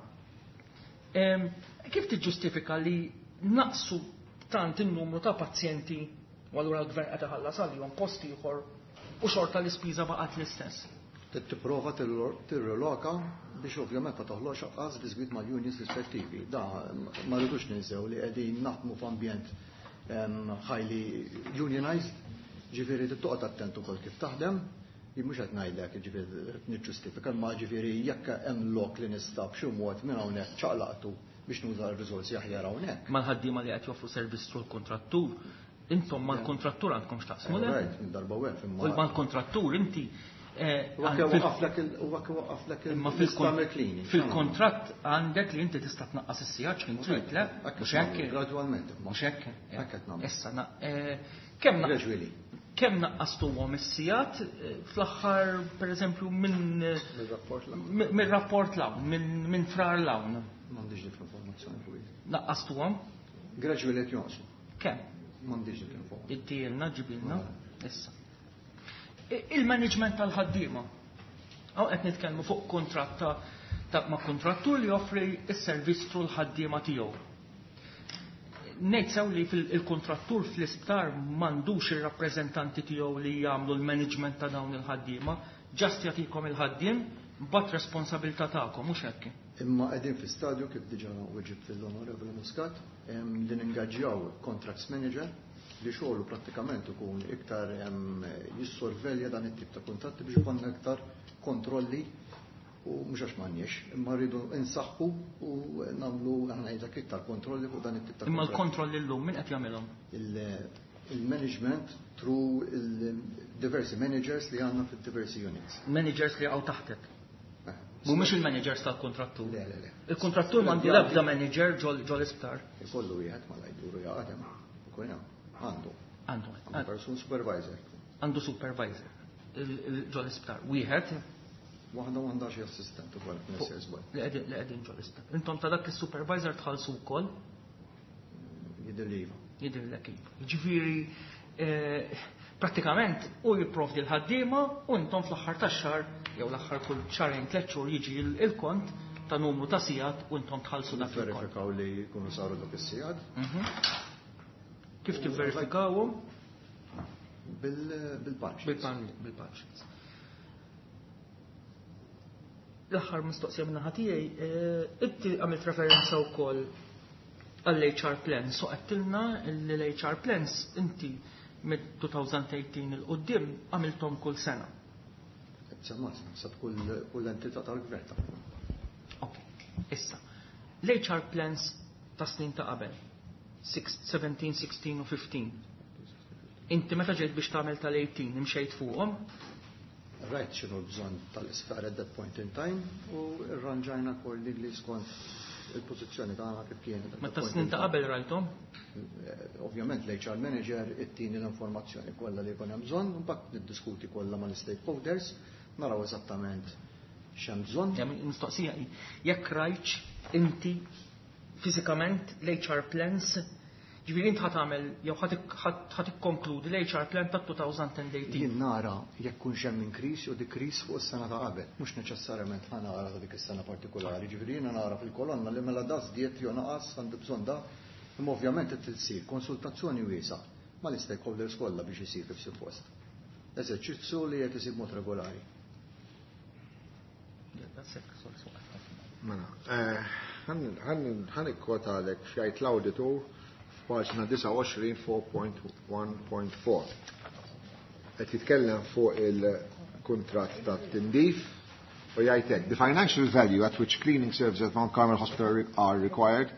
Kif tiġġustifika li naqsu tant in-numru ta' pazjenti u allura l-gvern qed iħallas għalihom post ieħor u xorta l-ispiża baqgħet l-istess? Tipprova tirreloka biex ovvjament ma toħloqx anqas disgwid mal-unions rispettivi. Da ma rridux ninsew li qegħdin naħdmu f'ambjent highly unionized, ġifieri toqgħod attent ukoll kif taħdem. Jien mhux qed ngħidlek ġifieri niġġustifika, imma ġifieri jekk hemm lok li nista' b'xi mod minn hawnhekk ċaqlaqtu biex nuża r-riżorsi aħjar hawnhekk. Mal-ħaddiema li qed joffru servizz through l-kontrattur, intom mal-kontrattur għandkom x'taqsmu, le? Right, minn darba wef imma. U mal-kontrattur inti eh, Waqaflek il-cleaning. Fil-kontratt għandek li inti tista' tnaqqas is-sigħat kien trid, le? Mhux hekk? Gradwalment. Mhux hekk? Hekk qed nagħmlu. Issa, kemm Gradually. Kemm naqqastuhom is-sigħat eh, fl-aħħar, pereżempju, minn mir-rapport l minn Frar 'l hawn? M'għandix dik l-informazzjoni fuq. Naqqastuhom? Gradually qed jonqsu. Kemm? M'għandix dik l-informazzjoni. Ittielna, ġibilna, issa. Il-management tal-ħaddiema. Hawn qed nitkellmu fuq kontratt ta' ma' kontrattur li joffri s-servizz through l-ħaddiema tiegħu. Ngħid sew li fil-kontrattur fl-isptar m'għandux ir-rappreżentanti tiegħu li jagħmlu l-management ta' dawn il-ħaddiema, just jagħtikom il-ħaddiem, but responsabilità tagħkom, mhux hekk? Imma qegħdin fi stadju, kif diġà weġibt lill-Onorevoli Muscat, li ningaġġjaw contracts manager li xogħlu prattikament ikun iktar jissorvelja dan it-tip ta' kontratti biex ikollna iktar kontrolli, u mhux għax m'għandniex, imma rridu insaħħu u nagħmlu, ngħidlek, iktar kontrolli fuq dan it-tip ta' Imma l-kontrolli llum min qed jagħmilhom? Il-management through il-diversi managers li għandna fid-diversi units. Managers li għaw taħtek. Eh, Mhumiex il-managers tal-kontrattur. Le, le, le. Il-kontrattur m'għandu l-ebda manager ġol ġol isptar. Ikollu wieħed ma lajduru jaqadem. Ukoll hemm. Għandu. Għandu. Għandu person supervisor. Għandu supervisor. Ġol isptar. Wieħed Waħda u għandha xi assistent ukoll f'Messrs żball. li qegħdin li qegħdin ġol isptar. Intom ta' dak is-supervisor tħallsu wkoll? Jidher li iva. Jidhirlek iva. Ġifieri eh, prattikament u jipprovdi l-ħaddiema u intom fl-aħħar tax-xahar jew l-aħħar kull xahrejn, tliet xhur jiġi il-kont ta' numru ta' sigħat u intom tħallsu dak il-kont. Verifikaw li jkunu saru dak is-sigħat. Mhm. Kif tivverifikawhom? Bil-punch. Bil-punch. L-aħħar mistoqsija minn tiegħi, eh, inti għamilt referenza wkoll għall-H R plans, so għedtilna li l-H R plans inti mid-elfejn u tmintax 'il quddiem għamiltom kull sena. Semmat, sab kull entità tal-gvern ta' Ok, issa. L-H R plans ta' snin ta' qabel, sbatax, sittax u ħmistax. Inti meta ġejt biex tagħmel tal-tmintax imxejt fuqhom? Rajt x'inhu l-bżonn tal-isptar at that point in time u rranġajna accordingly skont il-pożizzjoni tagħna kif kienet. Ma ta' snin ta' qabel rajthom? Eh, ovvjament l-H R manager ittini l-informazzjoni kollha li jkun hemm bżonn, mbagħad niddiskuti kollha mal-stakeholders, naraw eżattament x'hemm bżonn. Mistoqsija hi, jekk rajtx inti fiżikament l-H R plans, ġifieri int ħa tagħmel jew ħa tikkonkludi l-H R plan ta' elfejn u tmintax. Jien nara jekk kunx hemm increase u decrease fuq is-sena ta' qabel, mhux neċessarjament ħa nara ta' dik is-sena partikolari. Ġifieri jiena nara fil-kolonna li mela da żdied jew naqas, għandu bżonn da, imma ovvjament qed issir konsultazzjoni wiesgħa mal-stakeholders kollha biex isir kif suppost. Eżerċizzju li qed isir mod regolari. Mela, ħa nikkwotalek x'jgħid l-awditur f'paġna disgħa u għoxrin erba' punt wieħed punt erba'. Qed jitkellem fuq il-kuntratt ta' tindif u jgħid hekk: "The financial value at which cleaning services at Mount Carmel Hospital are required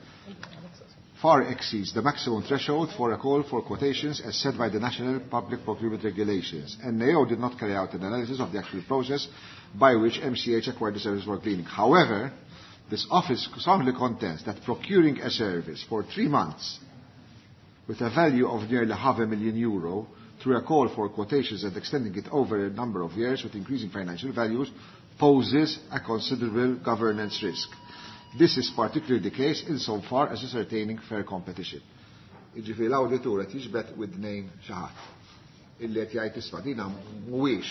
far exceeds the maximum threshold for a call for quotations as set by the National Public Procurement Regulations. N A O did not carry out an analysis of the actual process by which M C H acquired the service for cleaning. However, this office strongly contends that procuring a service for three months with a value of nearly half a million euro through a call for quotations and extending it over a number of years with increasing financial values poses a considerable governance risk. This is particularly the case insofar as ascertaining fair competition." Jiġifieri l-awditur qed jiġbed widnejn xi ħadd illi qed jgħid, isma', dina mhuwiex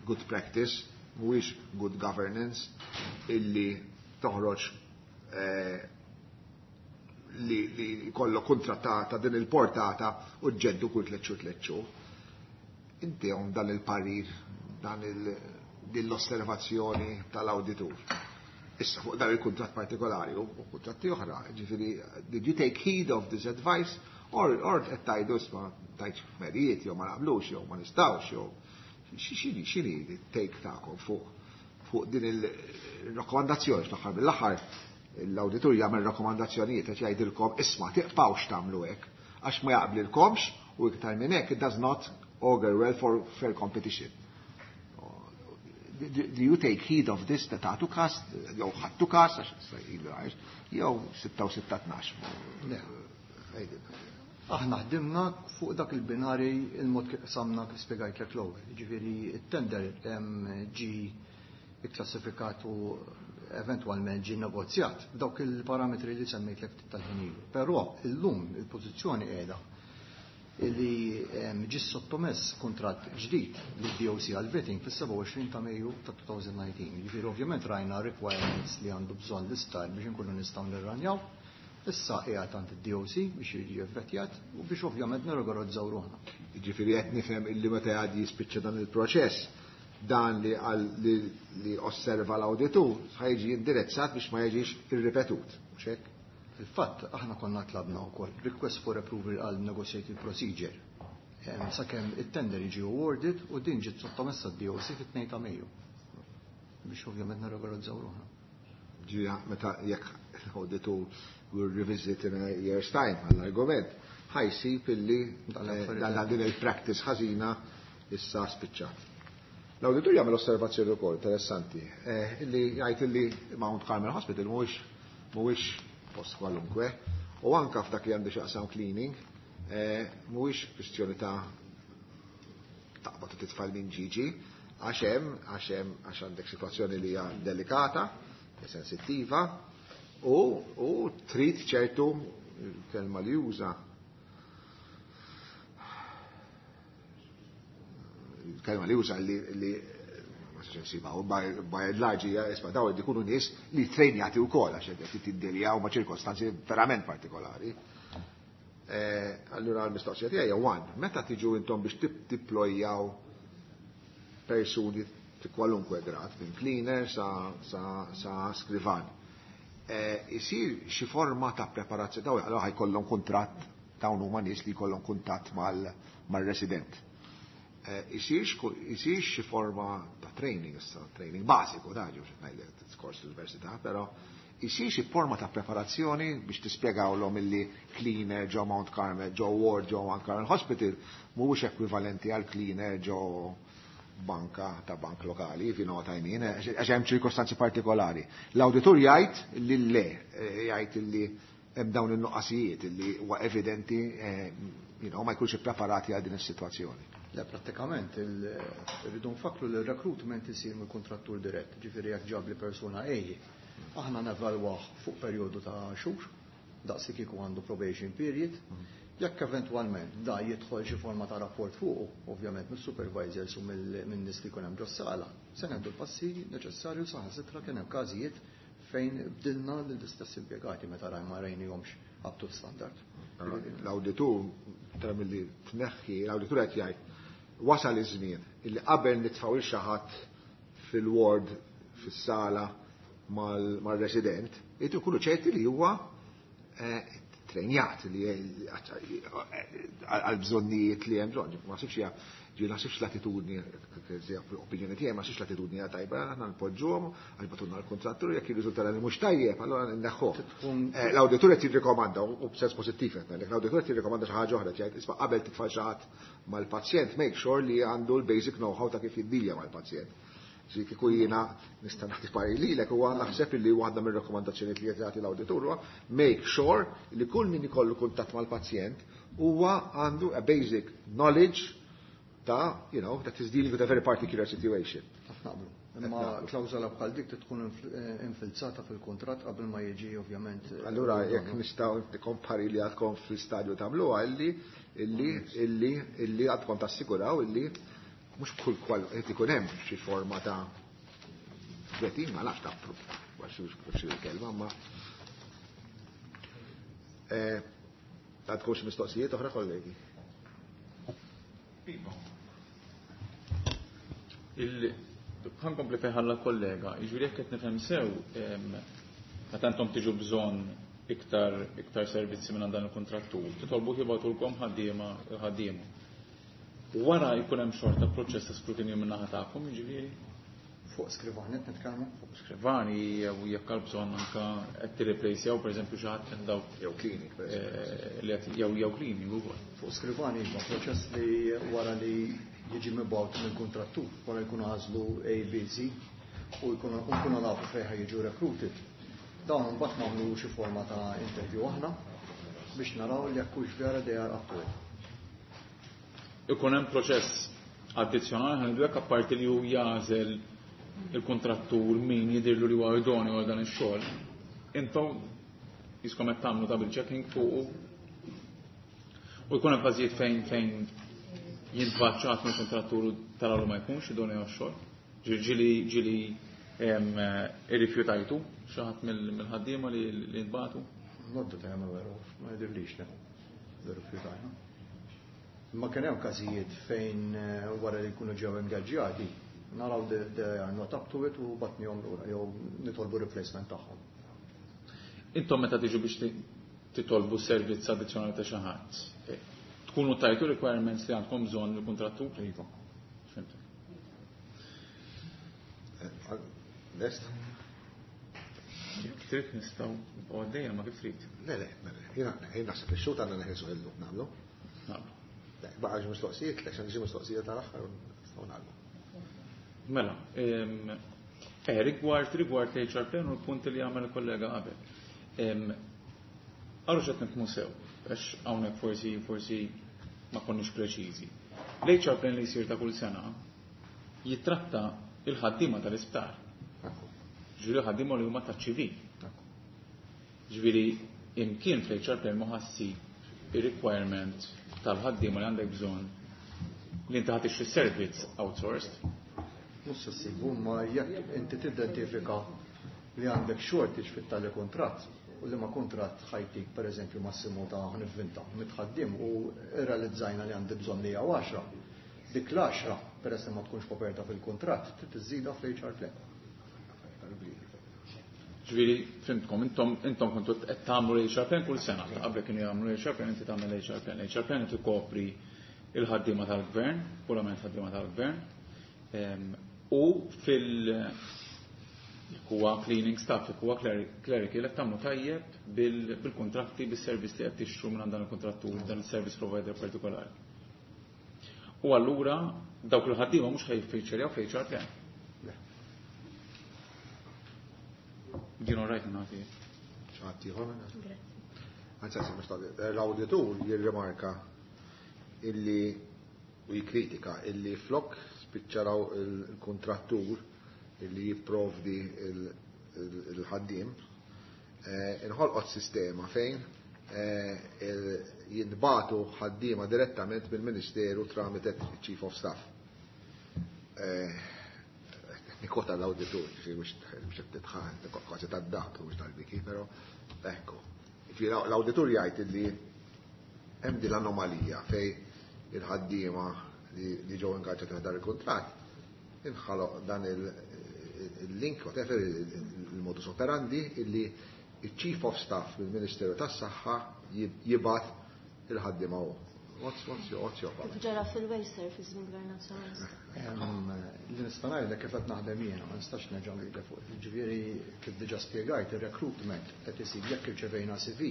good practice, mhuwiex good governance illi toħroġ eh, li, li kollu kuntratt ta' din il-portata u ġeddu kull tliet xhur tliet xhur. Inti hawn dan il-parir, dan il l-osservazzjoni tal-awditur. Issa fuq dan il-kuntratt partikolari u kuntratti oħra, ġifieri, did you take heed of this advice or or qed tgħidu, isma', tajt merijiet jew ma naqblux jew ma nistgħux, jew x'inhi x'inhi take tagħkom fuq fuq din il-rakkomandazzjoni? Fl-aħħar mill-aħħar l-awditur jagħmel rakkomandazzjonijiet, qed jgħidilkom, isma', tiqpawx tagħmlu hekk għax ma jaqblilkomx u iktar minn hekk it does not augur well for fair competition. Do you take heed of this, ta' tagħtu kas, jew ħadtu kas, għax jew sitta u sitta tnax? Aħna ħdimna fuq dak il-binari, il-mod kif samna, kif spjegajtlek l-ewwel. Ġifieri it-tender ġi ikklassifikat u eventwalment ġi negozjat dawk il-parametri li semmejtlek ftit tal-ħin ilu. Però illum il-pożizzjoni qiegħda li ġi sottomess kuntratt ġdid lid D O C għal vetting fis-sebgħa u għoxrin ta' Mejju ta' elfejn u dsatax. Ġifieri ovvjament rajna requirements li għandu bżonn l-isptar biex inkunu nistgħu nirranjaw. Issa qiegħed għand id-D O C biex jiġi vvettjat u biex ovvjament nirrigorizzaw ruħna. Ġifieri qed nifhem illi meta għad jispiċċa dan il-proċess, dan li għal li, li osserva l-awditur ħa jiġi indirizzat biex ma jiġix irripetut. Mhux hekk? Fil-fatt, aħna konna tlabna wkoll request for approval għal negotiated procedure sakemm it-tender jiġi awarded u din ġiet sottomessa d-D O C fit-tnejn ta' Mejju. Biex ovvjament nirregorizzaw ruħna. Ġija, meta jekk l-awditur will revisit in a year's time għall-argument, ħa jsib illi dan din il-practice ħażina issa spiċċat. L-awditur jagħmel osservazzjoni wkoll interessanti, eh, illi jgħid illi Mount Carmel Hospital mhuwiex mhuwiex post kwalunkwe u anka f'dak li għandu x'jaqsam cleaning eh, mhuwiex kwistjoni ta' taqbad u titfal minn ġiġi, għax hemm għax hemm għax għandek sitwazzjoni li hija delikata, sensittiva u, u trid ċertu, kelma li juża, kelma li juża li, li ma sax nsiba, u by and large hija, isma', daw ikunu nies li trejnjati wkoll għax qed tiddiljaw ma' ċirkostanzi verament partikolari. Eh, allura l-mistoqsija tiegħi hija one, meta tiġu intom biex tipplojaw persuni fi kwalunkwe grad, minn cleaner sa, sa, sa skrivan, eh, isir xi forma ta' preparazzjoni, daw allora ħa jkollhom kuntratt, dawn huma nies li jkollhom kuntatt mal-resident. Eh, isir xi forma ta' training, issa training bażiku, da ġew ngħidlek kors l-università, però isir xi forma ta' preparazzjoni biex tispjegawlhom illi cleaner ġo Mount Carmel, ġo ward ġo Mount Carmel Hospital mhuwiex ekwivalenti għal cleaner ġo banka ta' bank lokali, if you know what I mean, għax hemm ċirkostanzi partikolari. L-awditur jgħid li le, eh, jgħid li hemm dawn in-nuqqasijiet li huwa evidenti, eh, you know, ma jkunx ippreparati għal din is-sitwazzjoni. Le, prattikament, rridu nfakru li l-recruitment isir mill-kontrattur dirett, ġifieri jekk ġabli persuna A, Aħna nevalwah fuq perjodu ta' xhur, daqsi kieku għandu probation period. Jekk eventwalment da jidħol xi forma ta' rapport fuqu, ovvjament mis-supervisors u min-nies li jkun hemm ġos-sala, se nieħdu l-passi neċessarju. Saħansitra kien hemm każijiet fejn bdilna lill-istess impjegati meta raj ma rajnihomx up to standard. L-awditur tra milli tneħħi, l-awditur qed jgħid wasal iż-żmien illi qabel nitfgħu lil xi ħadd fil-ward fis-sala mal-resident, irid ikunu ċerti li huwa eh, trenjat li għal bżonnijiet li hemm bżonn. Ma naħsibx hija ġi naħsibx l-attitudni, opinjoni tiegħi, ma naħsibx l-attitudni hija tajba, aħna npoġġuhom għax bagħtulna l-kontrattur, jekk jirriżulta li mhux tajjeb, allura nneħħuh. Eh, l-awditur qed jirrikomanda, u b'sens pożittiv qed ngħidlek, l-awditur qed jirrikomanda xi ħaġa oħra, jgħid isma' qabel titfa' xi ħadd mal-pazjent, make sure li għandu l-basic know-how ta' kif jiddilja mal-pazjent. Ġi kieku jiena nista' nagħti parir lilek huwa naħseb illi waħda mir-rakkomandazzjonijiet li qed jagħti l-awditur huwa make sure li kull min ikollu kuntatt mal-pazjent huwa għandu a basic knowledge ta', you know, that is dealing with a very particular situation. Naqblu. Imma klawżola bħal dik tkun infilzata fil-kuntratt qabel ma jiġi ovvjament. Allura jekk nistgħu kompari li għadkom fl-istadju tagħmluha illi illi illi illi għadkom tassiguraw illi mhux kull kwal qed ikun hemm xi forma ta' vetting, ma nafx ta' xi kelma, ma għadkom xi mistoqsijiet oħra, kollegi? Iva. Ħa nkompli fejn ħalla kollega, jiġifieri jekk qed nifhem sew, meta intom tiġu bżonn iktar iktar servizzi minn dan il-kontrattur, titolbu jibgħatulkom ħaddiema ħaddiema. Wara jkun hemm xorta proċess ta' skrutinju minn naħa tagħkom, jiġifieri? Fuq skrivani qed nitkellmu? Fuq skrivani jew jekk għal bżonn anke qed tirreplacejaw pereżempju xi ħadd minn dawk jew cleaning li qed jew jew cleaning ukoll. Fuq skrivani iva, proċess li wara li jiġi mibgħut mill-kontrattur, wara jkunu għażlu A, B, C u jkunu nafu fejn jiġu recruited. Dawn mbagħad nagħmlu xi forma ta' interview aħna biex naraw li jekk hux vera they are up to it. Ikun hemm proċess addizzjonali ħa ngħidu hekk, apparti li hu jagħżel il-kontrattur min jidirlu li huwa idonju għal dan ix-xogħol. Intom jiskom qed tagħmlu double checking fuq u jkun hemm każijiet fejn fejn jintbaċċat mill-kontrattur taraw li ma jkunx idonju għax-xogħol. Ġieli ġieli irrifjutajtu xi ħadd mill-ħaddiema li jintbagħtu? Not that I am aware of, ma jidhirlix li rrifjutajna. Ma kien hemm każijiet fejn wara li jkunu ġew ingaġġjati, naraw they are not up to it u bgħatnihom lura jew nitolbu replacement tagħhom. Intom meta tiġu biex titolbu servizz addizzjonali ta' xi ħadd, tkunu tajtu requirements li għandkom bżonn il-kontrattur? Iva. Fimtek. Lest? Jekk trid nistgħu nibqgħu għaddejja, ma kif trid. Le, le, jiena naħseb li x-xogħol għandna neħilsu illum nagħmlu. Nagħmlu. Baqa' xi mistoqsijiet, le xi mistoqsija tal-aħħar nistgħu nagħmlu. Mela, eh, rigward rigward l-H R plan u l-punt li għamel il-kollega qabel. Għarru x'qed nifhmu sew, għax hawnhekk forsi forsi ma konniex preċiżi. L-H R plan li jsir ta' kull sena jitratta il-ħaddiema tal-isptar. Ġifieri ħaddiema li huma taċ-ċivil. Ġifieri imkien fl-H R plan ma ħassib ir-requirement tal-ħaddiema li għandek bżonn li inti ħa tixtri servizz outsourced. Mhux se ssibu, ma jekk inti tidentifika li għandek shortage fit-tali kuntratt u li ma kuntratt ħa jtik pereżempju massimu ta' nivvinta mitt ħaddiem u rrealizzajna li għandi bżonn li għaxra. Dik l-għaxra peress li ma tkunx koperta fil-kuntratt trid iżżidha fl-H R plan. Ġifieri fhimtkom, intom intom kontu qed tagħmlu l-H R plan kull sena. Qabel kienu jagħmlu l-H R plan, inti tagħmel l-H R plan. L-H R plan qed ikopri il-ħaddiema tal-gvern, purament ħaddiema tal-gvern. U fil huwa cleaning staff, huwa clerical, qed tagħmlu tajjeb bil-kontratti, bis-servizz li qed tixtru minn dan il-kontrattur, dan il-service provider partikolari. U allura dawk il-ħaddiema mhux ħa jiffeaturjaw fl-H R plan. Ġinu rajt nagħti. X'ħadd ieħor minn Anzi, anzi, mhux tagħti. L-awditur jirrimarka illi u jikkritika illi flok spiċċaraw il-kontrattur illi jipprovdi il-ħaddiem, inħolqot sistema fejn jintbagħtu ħaddiema direttament mill-Ministeru tramite Chief of Staff. Nikota l-awditur, mhux qed titħan, kważi tad-dak, mhux tal-biki, però ekku. L-awditur jgħid li hemm din l-anomalija fejn il-ħaddiema li ġew ingaġġati dan il-kuntratt inħaloq dan il-link, whatever, il-modus operandi illi il-Chief of Staff mill-Ministeru tas-Saħħa jibgħat il-ħaddiema hu. What's, what's your, what's your Kif ġara fil-Waste Service minn Gvern Nazzjonalista. Li nista' ngħidlek kif qed naħdem jiena, ma nistax nerġa' ngħidlek fuq. Ġifieri kif diġà spjegajt ir-recruitment qed isir jekk irċevejna C V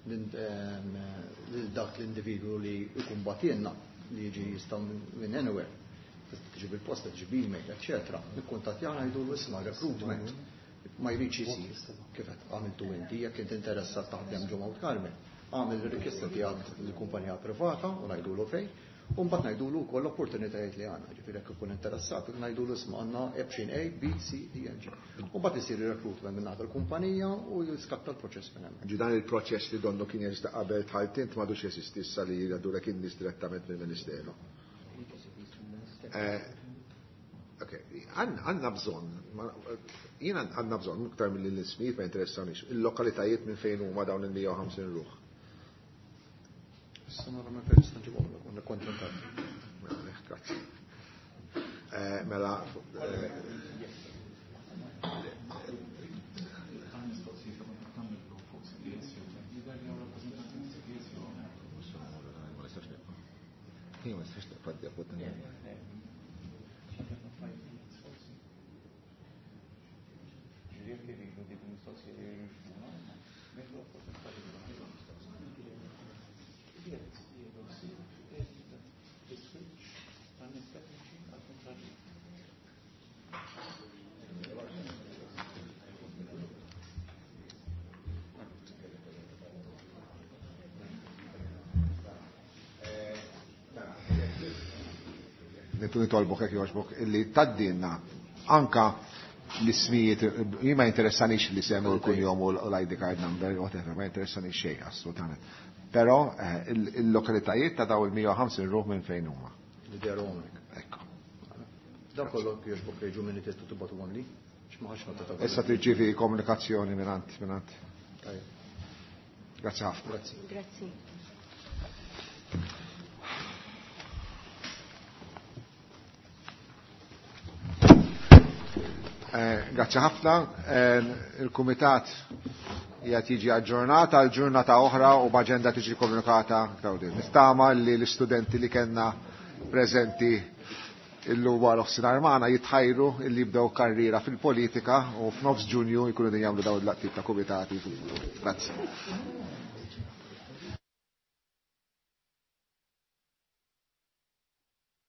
lil dak l-individwu li jkun bagħtilna, li jiġi jista' minn anywhere. Tiġi bil-posta, tiġi b-email, eċċetera. Nikkuntattjana, jgħidu isma' recruitment ma jridx isir kif qed għamiltu inti, jekk inti interessat taħdem ġo Mount Carmel, għamil il-rikjesta tiegħek l-kumpanija privata u ngħidulu fejn, u mbagħad ngħidulu wkoll l-opportunitajiet li għandna, ġifieri jekk ikun interessat, ngħidulu isma' għandna option A, B, C, D and G. U mbagħad isir il-recruitment minn naħa l-kumpanija u jiskatta l-proċess minn hemmhekk. Ġi dan il-proċess li donnu kien jeżisti qabel dħalt int m'għadux jeżisti issa li jgħaddulek in-nies direttament mill-Ministeru. Ok, għandna bżonn, jiena għandna bżonn, iktar mill l-ismijiet ma jinteressanix, il-lokalitajiet minn fejn huma dawn il-mija u ħamsin ruħ. Issa nara minn fejn nista' nġibhomlek u nikkontentat. Mela, grazzi. Mela, ma nistax nibqa' fuq. Nitolbok, jekk jogħġbok, illi tgħaddilna anka l-ismijiet, jien ma jinteressanix li semmu l-kunjom u l-I D card number, whatever, ma jinteressanix xejn, assolutament. Però il-lokalitajiet ta' daw il-mija u ħamsin ruħ minn fejn huma. Li dehru hawnhekk. Ekku. Dan kollu jogħġbok jiġu minn testu tibgħatu li. X'ma ħax nota ta' Issa tirċievi komunikazzjoni mingħand mingħand. Tajjeb. Grazzi ħafna. Grazzi. Grazzi. Grazzi ħafna. Il-Kumitat jgħat jiġi aġġornata għal ġurnata oħra u b'aġenda tiġi komunikata. Nittama li l-istudenti li kellna preżenti illum wara nofsinhar magħna jitħajru illi jibdew karriera fil-politika u f'nofs Ġunju jkunu din jagħmlu dawn il-laqtiet ta' kumitati. Grazzi.